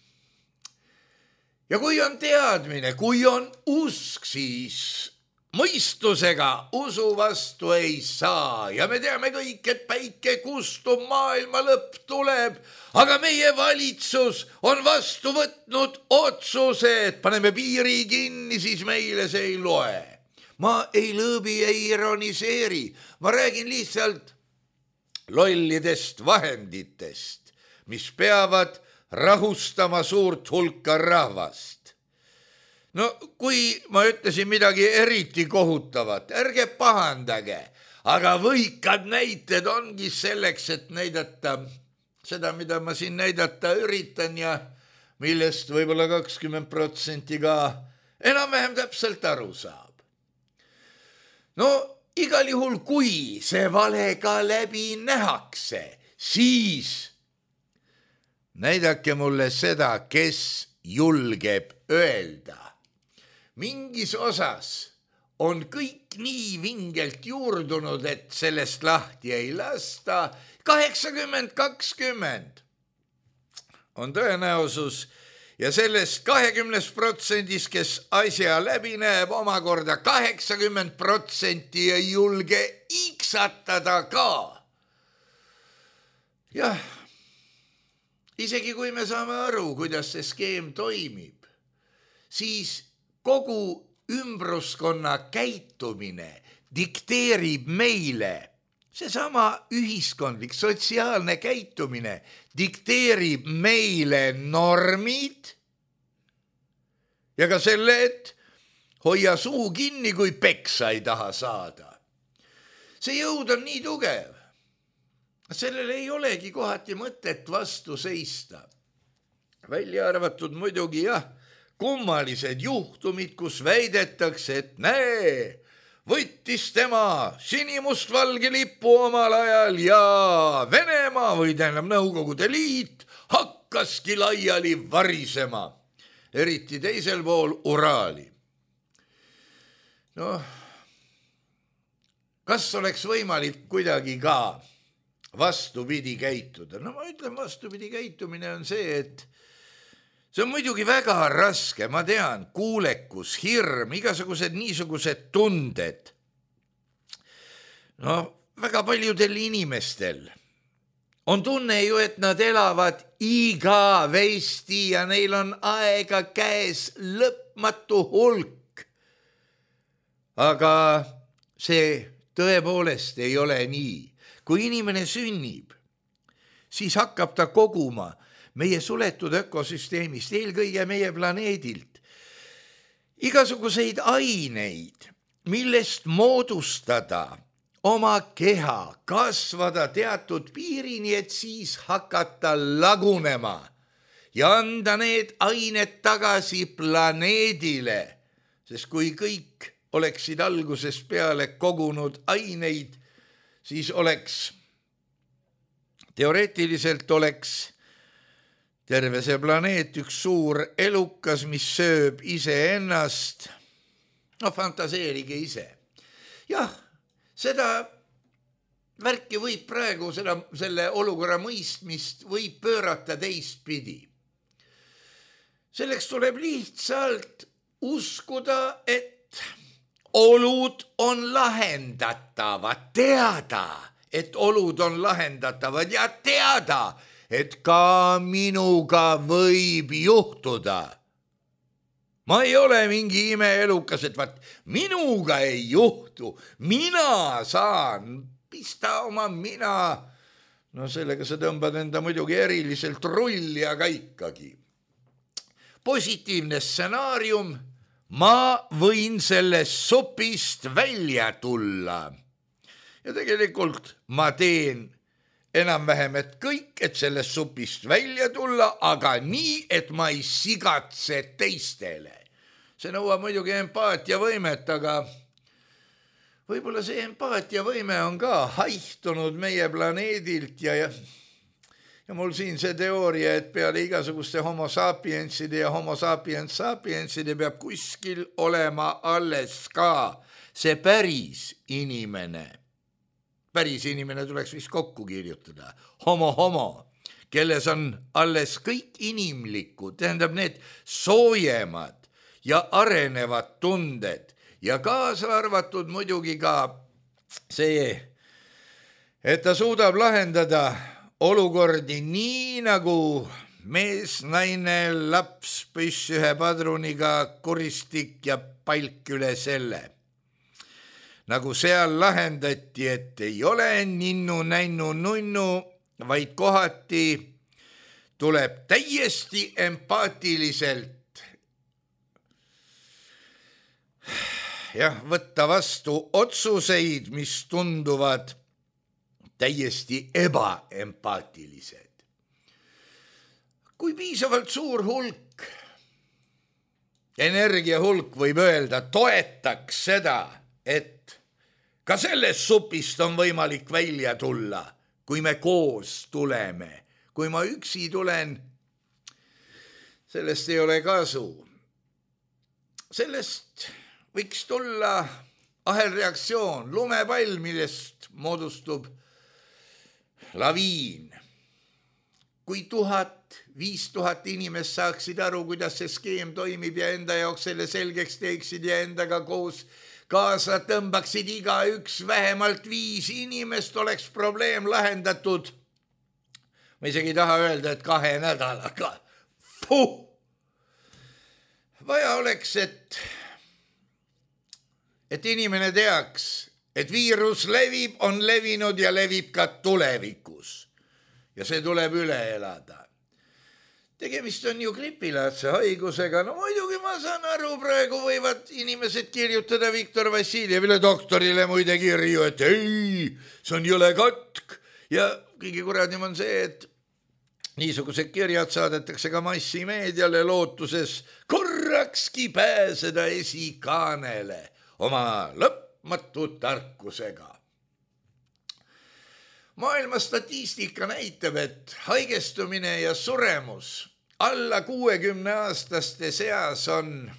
Ja kui on teadmine, kui on usk, siis mõistusega usu vastu ei saa. Ja me teame kõik, et päike kustub, maailma lõpp tuleb, aga meie valitsus on vastu võtnud otsuse, et paneme piiri kinni, siis meile see ei loe. Ma ei lõõbi, ei ironiseeri, ma räägin lihtsalt lollidest vahenditest, mis peavad rahustama suurt hulka rahvast. No kui ma ütlesin midagi eriti kohutavat, ärge pahandage, aga võikad näited ongi selleks, et näidata seda, mida ma siin näidata üritan ja millest võib-olla 20% ka enam-vähem täpselt aru saab. No igal juhul, kui see vale ka läbi nähakse, siis näidake mulle seda, kes julgeb öelda. Mingis osas on kõik nii vingelt juurdunud, et sellest lahti ei lasta. 80-20 on tõenäosus ja sellest 20%, kes asja läbi näeb, omakorda 80% ei julge iksatada ka. Jah, isegi kui me saame aru, kuidas see skeem toimib, siis kogu ümbruskonna käitumine dikteerib meile, seesama ühiskondlik, sotsiaalne käitumine dikteerib meile normid ja ka selle, et hoia suu kinni, kui peksa ei taha saada. See jõud on nii tugev. Sellele ei olegi kohati mõtet vastu seista. Välja arvatud muidugi kummalised juhtumid, kus väidetakse, et näe, võttis tema sinimustvalge lipu omal ajal ja Venemaa või tähendab Nõukogude Liit hakkaski laiali varisema, eriti teisel pool Uraali. No, kas oleks võimalik kuidagi ka vastupidi käituda? No ma ütlen, vastupidi käitumine on see, et see on muidugi väga raske, ma tean, kuulekus, hirm, igasugused niisugused tunded. No, väga paljudel inimestel on tunne ju, et nad elavad igavesti ja neil on aega käes lõpmatu hulk. Aga see tõepoolest ei ole nii. Kui inimene sünnib, siis hakkab ta koguma meie suletud ökosüsteemist, eelkõige meie planeedilt, igasuguseid aineid, millest moodustada oma keha, kasvada teatud piirini, et siis hakata lagunema ja anda need ained tagasi planeedile, sest kui kõik oleksid algusest peale kogunud aineid, siis teoreetiliselt oleks terve see planeet üks suur elukas, mis sööb iseennast. No fantaseerige ise. Jah, seda värki võib praegu selle olukorra mõistmist võib pöörata teistpidi. Selleks tuleb lihtsalt uskuda, et olud on lahendatavad, teada, et olud on lahendatavad ja teada, et ka minuga võib juhtuda. Ma ei ole mingi imeelukas, et vaat minuga ei juhtu, mina saan pista oma mina. No sellega sa tõmbad enda muidugi eriliselt rulli, aga ikkagi. Positiivne stsenaarium, ma võin sellest supist välja tulla. Ja tegelikult ma teen enam-vähem, et kõik, et sellest supist välja tulla, aga nii, et ma ei sigatse teistele. See nõuab muidugi empaatiavõimet, aga võib-olla see empaatiavõime on ka haihtunud meie planeedilt ja mul siin see teooria, et peale igasuguste homo sapienside ja homo sapiens sapienside peab kuskil olema alles ka see päris inimene. Päris inimene tuleks vist kokku kirjutada. Homo, kelles on alles kõik inimlikud, tähendab need soojemad ja arenevad tunded ja kaasa arvatud muidugi ka see, et ta suudab lahendada olukordi nii nagu mees, naine, laps, püss ühe padruniga, kuristik ja palk üle selle. Nagu seal lahendati, et ei ole ninnu, näinnu, nunnu, vaid kohati tuleb täiesti empaatiliselt võtta vastu otsuseid, mis tunduvad täiesti ebaempaatilised. Kui piisavalt suur hulk, energiahulk võib öelda, toetaks seda, et ka sellest supist on võimalik välja tulla, kui me koos tuleme. Kui ma üksi tulen, sellest ei ole kasu. Sellest võiks tulla ahelreaktsioon, lumepall, millest moodustub laviin. Kui 1000-5000 inimest saaksid aru, kuidas see skeem toimib ja enda jaoks selle selgeks teeksid ja endaga koos kaasa tõmbaksid igaüks vähemalt 5 inimest, oleks probleem lahendatud. Ma isegi ei taha öelda, et 2 nädalaga. Vaja oleks, et inimene teaks, et viirus levib, on levinud ja levib ka tulevikus. Ja see tuleb üle elada. Tegemist on ju gripilaadse haigusega. No muidugi ma saan aru, praegu võivad inimesed kirjutada Viktor Vassiljevile doktorile muide kirju, et ei, see on jõle katk. Ja kõige kuradim on see, et niisugused kirjad saadetakse ka massimeediale lootuses korrakski pääseda esikaanele oma lõpmatu tarkusega. Maailma statistika näitab, et haigestumine ja suremus alla 60-aastaste seas on,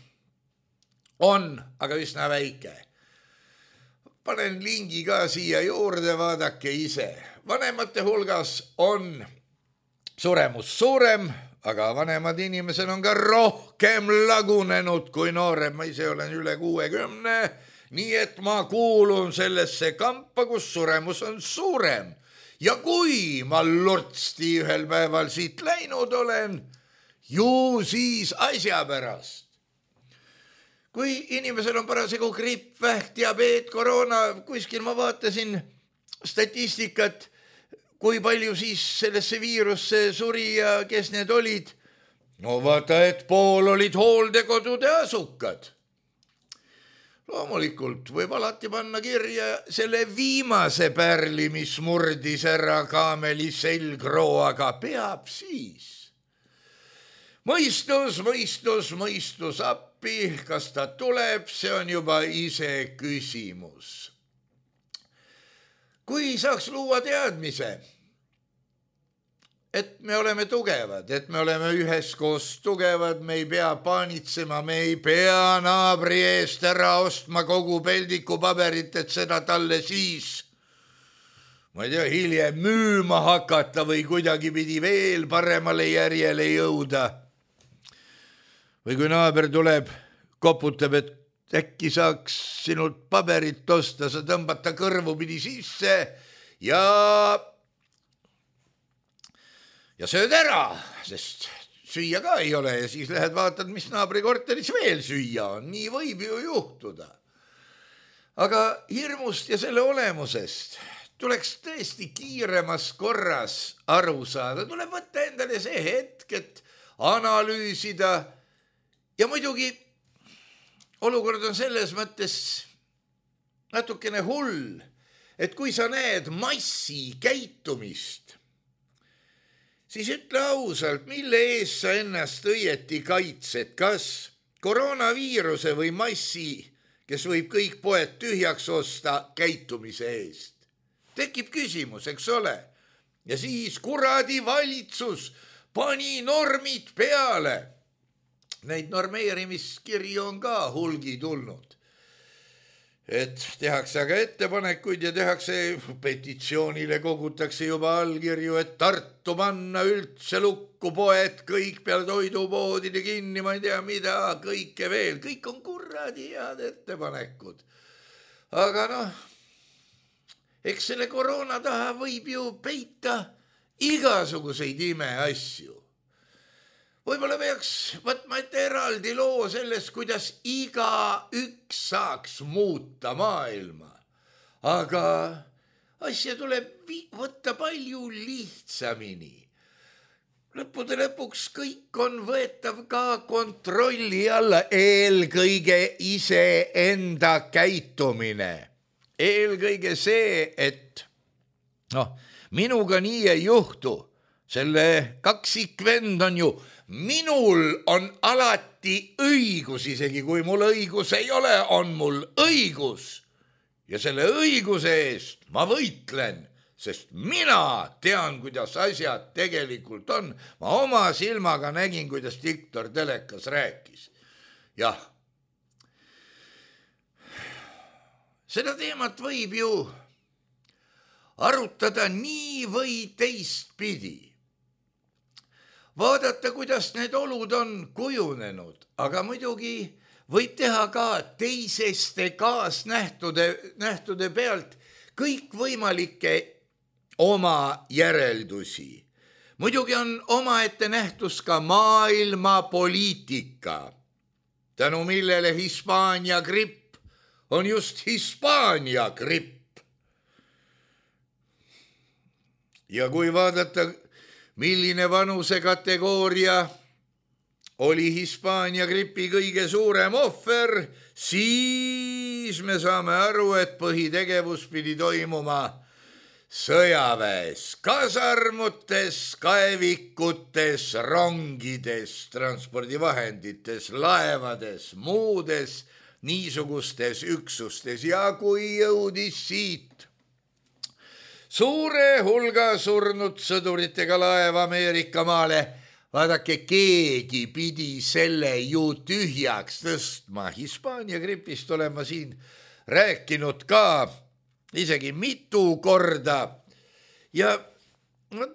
aga üsna väike. Panen lingi ka siia juurde, vaadake ise. Vanemate hulgas on suremus suurem, aga vanemad inimesed on ka rohkem lagunenud kui noorem. Ma ise olen üle 60, nii et ma kuulun sellesse kampa, kus suremus on suurem. Ja kui ma lortsti ühel päeval siit läinud olen, ju siis asja pärast. Kui inimesel on parasjagu gripp, vähk, diabeet, koroona, kuskil ma vaatasin statistikat, kui palju siis sellesse viirusse suri ja kes need olid. No vaata, et pool olid hooldekodude asukad. Loomulikult võib alati panna kirja selle viimase pärli, mis murdis ära kaameli selgroo, aga peab siis. Mõistus appi, kas ta tuleb, see on juba ise küsimus. Kui saaks luua teadmise, et me oleme tugevad, et me oleme üheskoos tugevad, me ei pea paanitsema, me ei pea naabri eest ära ostma kogu peldiku paberit, et seda talle siis ma ei tea, hiljem müüma hakata või kuidagi pidi veel paremale järjele jõuda. Või kui naaber tuleb, koputab, et äkki saaks sinult paberit osta, sa tõmbad ta kõrvu pidi sisse ja sööd ära, sest süüa ka ei ole ja siis lähed vaatad, mis naabri korteris veel süüa on. Nii võib ju juhtuda. Aga hirmust ja selle olemusest tuleks tõesti kiiremas korras aru saada. Tuleb võtta endale see hetk, et analüüsida ja muidugi olukord on selles mõttes natukene hull, et kui sa näed massi käitumist, siis ütle ausalt, mille eest sa ennast õieti kaitsed, kas koroonaviiruse või massi, kes võib kõik poed tühjaks osta käitumise eest. Tekib küsimus, eks ole? Ja siis kuradi valitsus pani normid peale. Neid normeerimiskirju on ka hulgi tulnud. Et tehakse aga ettepanekuid ja tehakse petitsioonile, kogutakse juba allkirju, et Tartu panna üldse lukku poed, kõik peale toidupoodide kinni, ma ei tea mida, kõike veel, kõik on kuradi head ettepanekud. Aga eks selle koroona taha võib ju peita igasuguseid imeasju. Võib-olla peaks võtma ette eraldi loo sellest, kuidas igaüks saaks muuta maailma. Aga asja tuleb võtta palju lihtsamini. Lõppude lõpuks kõik on võetav ka kontrolli alla, eelkõige iseenda käitumine. Eelkõige see, et minuga nii ei juhtu. Selle kaksikvend on ju, minul on alati õigus, isegi kui mul õigus ei ole, on mul õigus. Ja selle õiguse eest ma võitlen, sest mina tean, kuidas asjad tegelikult on. Ma oma silmaga nägin, kuidas Viktor telekas rääkis. Jah, seda teemat võib ju arutada nii või teistpidi. Vaadata, kuidas need olud on kujunenud, aga muidugi võib teha ka teiseste kaasnähtude pealt kõikvõimalikke oma järeldusi. Muidugi on omaette nähtus ka maailmapoliitika, tänu millele Hispaania gripp on just Hispaania gripp. Ja kui vaadata, milline vanusekategooria oli Hispaania gripi kõige suurem ohver, siis me saame aru, et põhitegevus pidi toimuma sõjaväes, kasarmutes, kaevikutes, rongides, transpordivahendites, laevades, muudes niisugustes üksustes. Ja kui jõudis siit suure hulga surnud sõduritega laev Ameerika maale, vaadake, keegi pidi selle ju tühjaks tõstma. Hispaania gripist olen ma siin rääkinud ka isegi mitu korda. Ja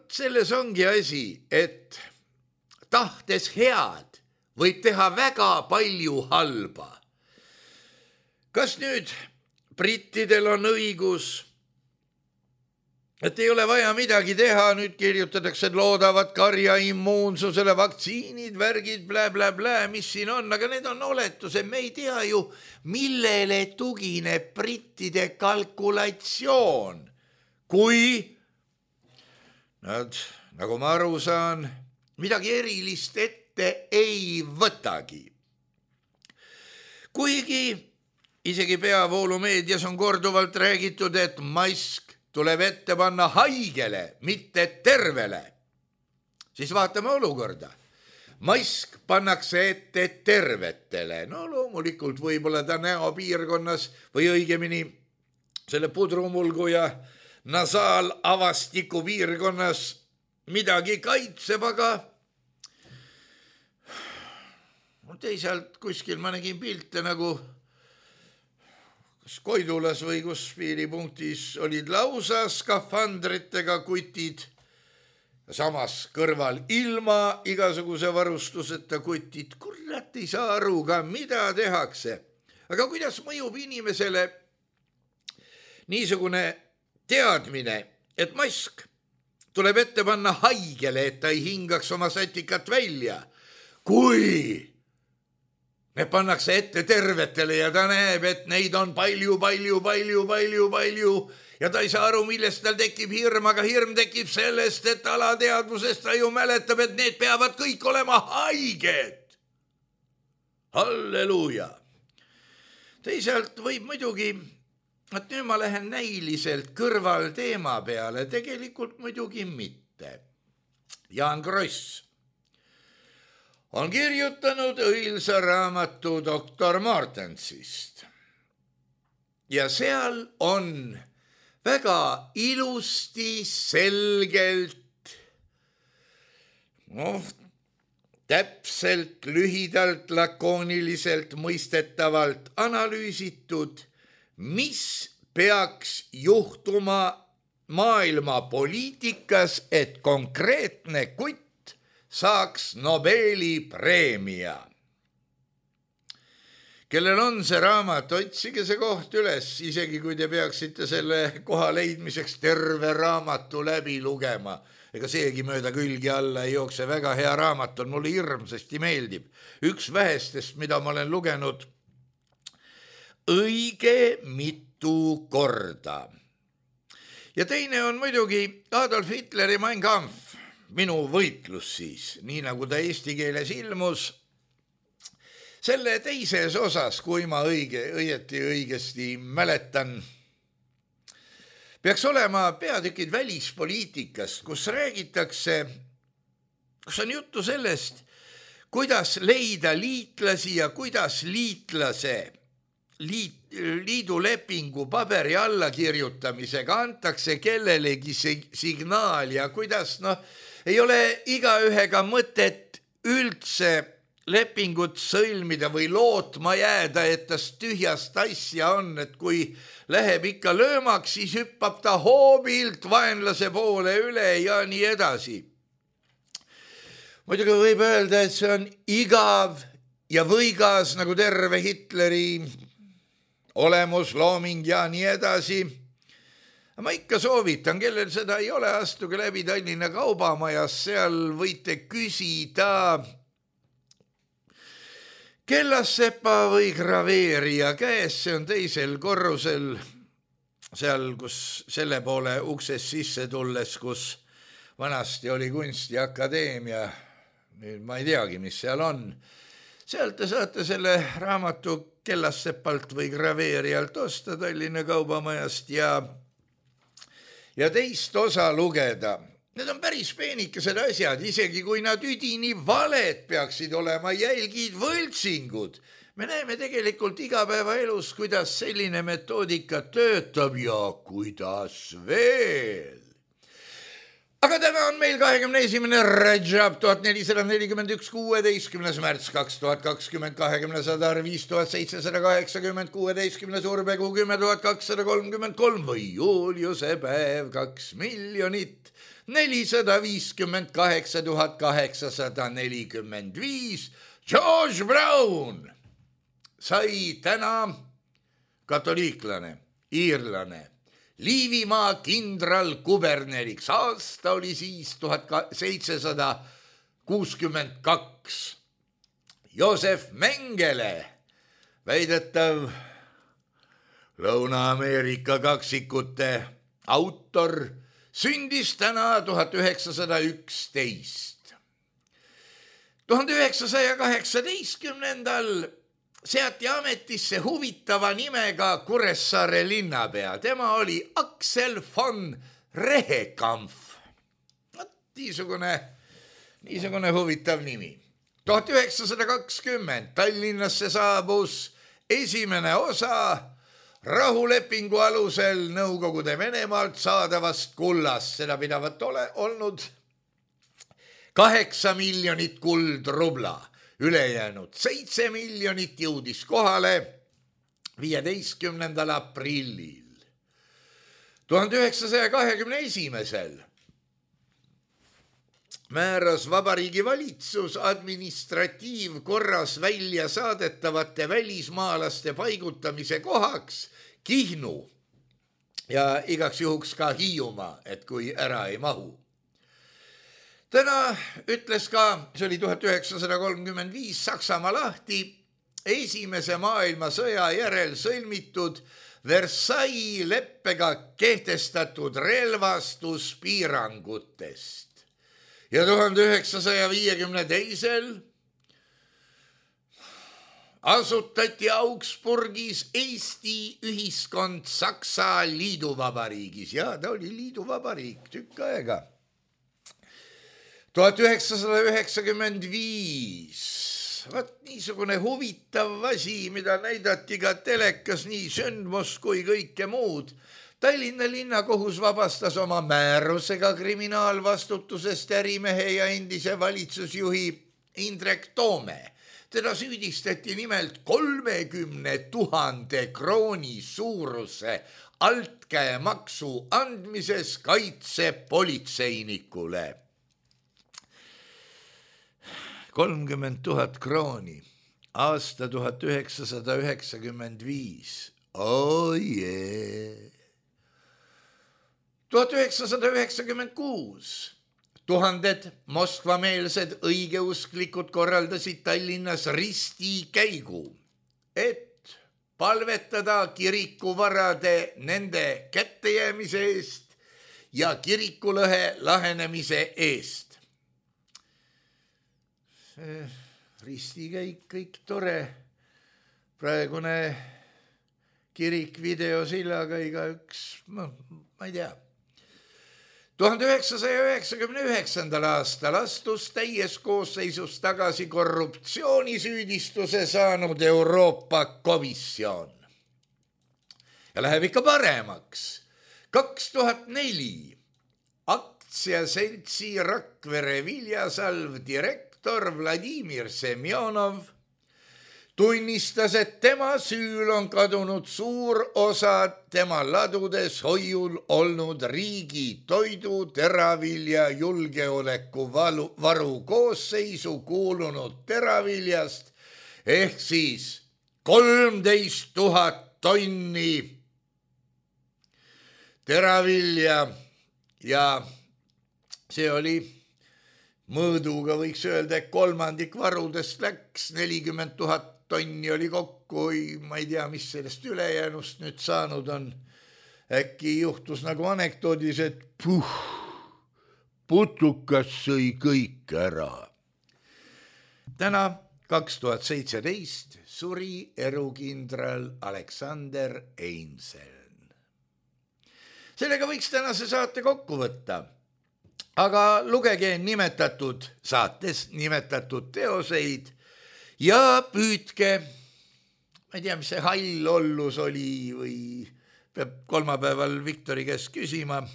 selles ongi asi, et tahtes head võib teha väga palju halba. Kas nüüd brittidel on õigus, et ei ole vaja midagi teha, nüüd kirjutatakse, et loodavad karja immuunsusele, vaktsiinid, värgid, blä, mis siin on, aga need on oletused, me ei tea ju, millele tugineb brittide kalkulatsioon, kui nad, nagu ma aru saan, midagi erilist ette ei võtagi. Kuigi isegi peavoolumeedias on korduvalt räägitud, et mask tuleb ette panna haigele, mitte tervele. Siis vaatame olukorda. Mask pannakse ette tervetele. Loomulikult võib-olla ta näopiirkonnas või õigemini selle pudrumulgu ja nasaalavastiku piirkonnas midagi kaitseb, aga teisalt kuskil ma nägin pilte, nagu kas Koidulas või kus piiripunktis olid lausa skafandritega kutid, samas kõrval ilma igasuguse varustuseta kutid. Kurat ei saa aru ka, mida tehakse. Aga kuidas mõjub inimesele niisugune teadmine, et mask tuleb ette panna haigele, et ta ei hingaks oma sätikat välja, kui need pannakse ette tervetele ja ta näeb, et neid on palju ja ta ei saa aru, millest tal tekib hirm, aga hirm tekib sellest, et alateadvusest ta ju mäletab, et need peavad kõik olema haiged. Halleluuja! Teisalt võib muidugi, et nüüd ma lähen näiliselt kõrval teema peale, tegelikult muidugi mitte. Jaan Kross on kirjutanud õilsa raamatu Doktor Martensist ja seal on väga ilusti, selgelt, täpselt, lühidalt, lakooniliselt, mõistetavalt analüüsitud, mis peaks juhtuma maailma poliitikas, et konkreetne kutt saaks Nobeli preemia. Kellel on see raamat, otsige see koht üles, isegi kui te peaksite selle koha leidmiseks terve raamatu läbi lugema. Ega seegi mööda külgi alla ei jookse, väga hea raamat on, mulle hirmsasti meeldib. Üks vähestest, mida ma olen lugenud õige mitu korda. Ja teine on muidugi Adolf Hitleri Mein Kampf, minu võitlus siis, nii nagu ta eesti keeles ilmus. Selle teises osas, kui ma õigesti mäletan, peaks olema peatükid välispoliitikast, kus räägitakse, kus on juttu sellest, kuidas leida liitlasi ja kuidas liidulepingu paberi allakirjutamisega antakse kellelegi signaal ja kuidas, ei ole igaühega mõtet üldse lepingut sõlmida või lootma jääda, et tast tühjast asja on, et kui läheb ikka löömaks, siis hüppab ta hoobilt vaenlase poole üle ja nii edasi. Muidugi võib öelda, et see on igav ja võigas nagu terve Hitleri olemuslooming ja nii edasi. Ma ikka soovitan, kellel seda ei ole, astuge läbi Tallinna Kaubamajas, seal võite küsida kellassepa või graveerija käes, see on teisel korrusel, seal, kus selle poole uksest sisse tulles, kus vanasti oli kunstiakadeemia, nüüd ma ei teagi, mis seal on. Sealt te saate selle raamatu kellassepalt või graveerijalt osta Tallinna Kaubamajast ja teist osa lugeda. Need on päris peenikesed asjad, isegi kui nad üdini valed peaksid olema, jälgid, võltsingud. Me näeme tegelikult igapäevaelus, kuidas selline metoodika töötab ja kuidas veel. Aga täna on meil 21. Rajab 1441, 16. märts 2020, 20. sadar 5780, 16. surbekuu 10233 või Juliuse päev 2 458 845. George Brown sai täna katoliiklane, iirlane, Liivimaa kindral kuberneriks. Aasta oli siis 1762. Josef Mengele, väidetav Lõuna-Ameerika kaksikute autor, sündis täna 1911. 1918. seati ametisse huvitava nimega Kuressaare linnapea. Tema oli Aksel von Rehekampf. Niisugune huvitav nimi. 1920 Tallinnasse saabus esimene osa rahulepingu alusel Nõukogude Venemaalt saadavast kullast. Seda pidavat olnud 8 miljonit kuldrubla. Ülejäänud 7 miljonit jõudis kohale 15. aprillil 1921. määras Vabariigi Valitsus administratiivkorras välja saadetavate välismaalaste paigutamise kohaks Kihnu ja igaks juhuks ka Hiiumaa, et kui ära ei mahu. Täna ütles ka, see oli 1935, Saksamaa lahti esimese maailmasõja järel sõlmitud Versailles leppega kehtestatud relvastuspiirangutest. Ja 1952 asutati Augsburgis Eesti ühiskond Saksa liiduvabariigis. Ja ta oli liiduvabariik tükk aega. 1995, vaat niisugune huvitav asi, mida näidati ka telekas, nii sündmus kui kõike muud. Tallinna linnakohus vabastas oma määrusega kriminaalvastutusest ärimehe ja endise valitsusjuhi Indrek Toome. Teda süüdistati nimelt 30 000 krooni suuruse altkäemaksu andmises kaitsepolitseinikule. 30 000 krooni, aasta 1995. Oh yeah. 1996 tuhanded moskvameelsed õigeusklikud korraldasid Tallinnas ristikäigu, et palvetada kirikuvarade nende kättejäämise eest ja kirikulõhe lahenemise eest. Ristikäik kõik tore, praegune kirik videosillaga igaüks, ma ei tea. 1999. aastal astus täies koosseisus tagasi korruptsioonisüüdistuse saanud Euroopa Komisjon. Ja läheb ikka paremaks. 2004 aktsiaseltsi Rakvere Viljasalv direktor Vladimir Semjonov tunnistas, et tema süül on kadunud suur osa tema ladudes hoiul olnud riigi toidu, teravilja, julgeoleku varu koosseisu kuulunud teraviljast ehk siis 13 000 tonni teravilja ja see oli mõõduga, võiks öelda, et kolmandik varudest läks, 40 000 tonni oli kokku, ma ei tea, mis sellest ülejäänust nüüd saanud on. Äkki juhtus nagu anekdoodis, et putukas sõi kõik ära. Täna 2017 suri erukindral Aleksander Einseln. Sellega võiks tänase saate kokku võtta. Aga lugege nimetatud saates nimetatud teoseid ja püüdke, ma ei tea, mis see hall ollus oli või peab kolmapäeval Viktori käest küsima,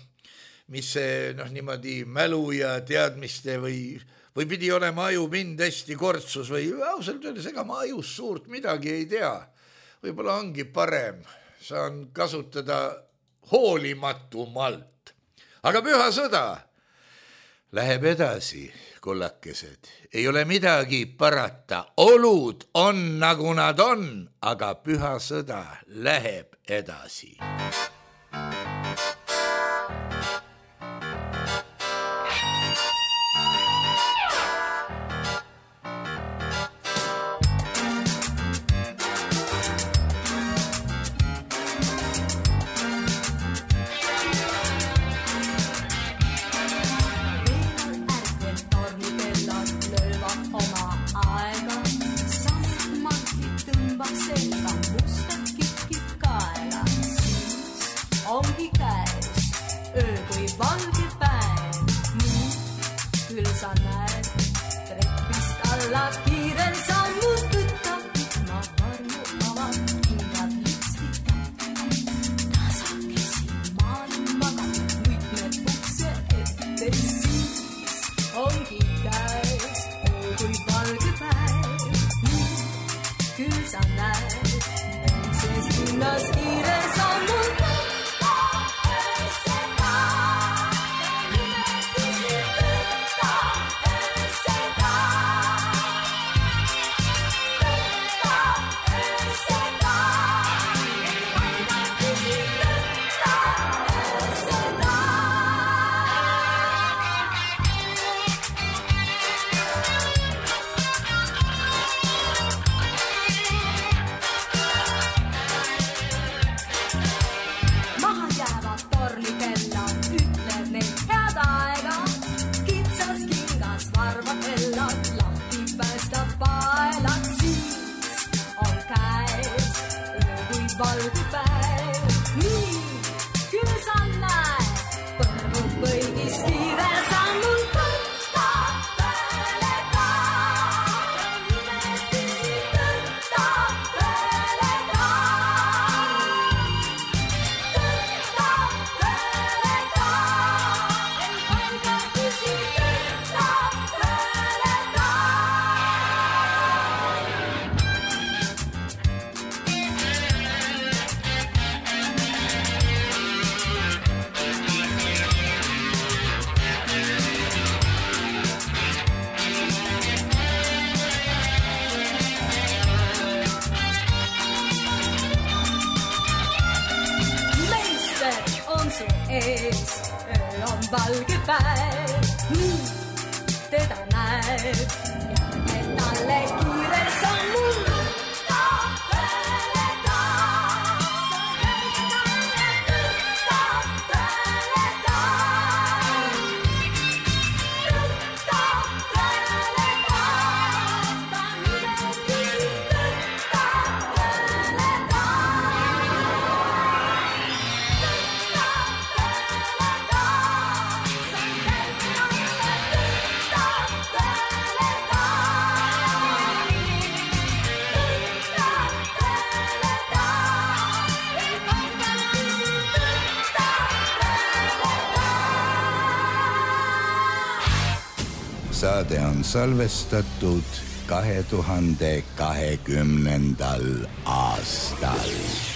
mis see niimoodi mälu ja teadmiste või pidi olema ajupind hästi kortsus või ausalt öeldes, ega ma ajus suurt midagi ei tea. Võib-olla ongi parem, saan kasutada hoolimatumalt. Aga püha sõda läheb edasi, kullakesed. Ei ole midagi parata. Olud on nagu nad on, aga püha sõda läheb edasi. Ongi suunas kiire sammul. Valge päev, nii teda näeb ja et talle kiire sammul. Saade on salvestatud 2020. aastal.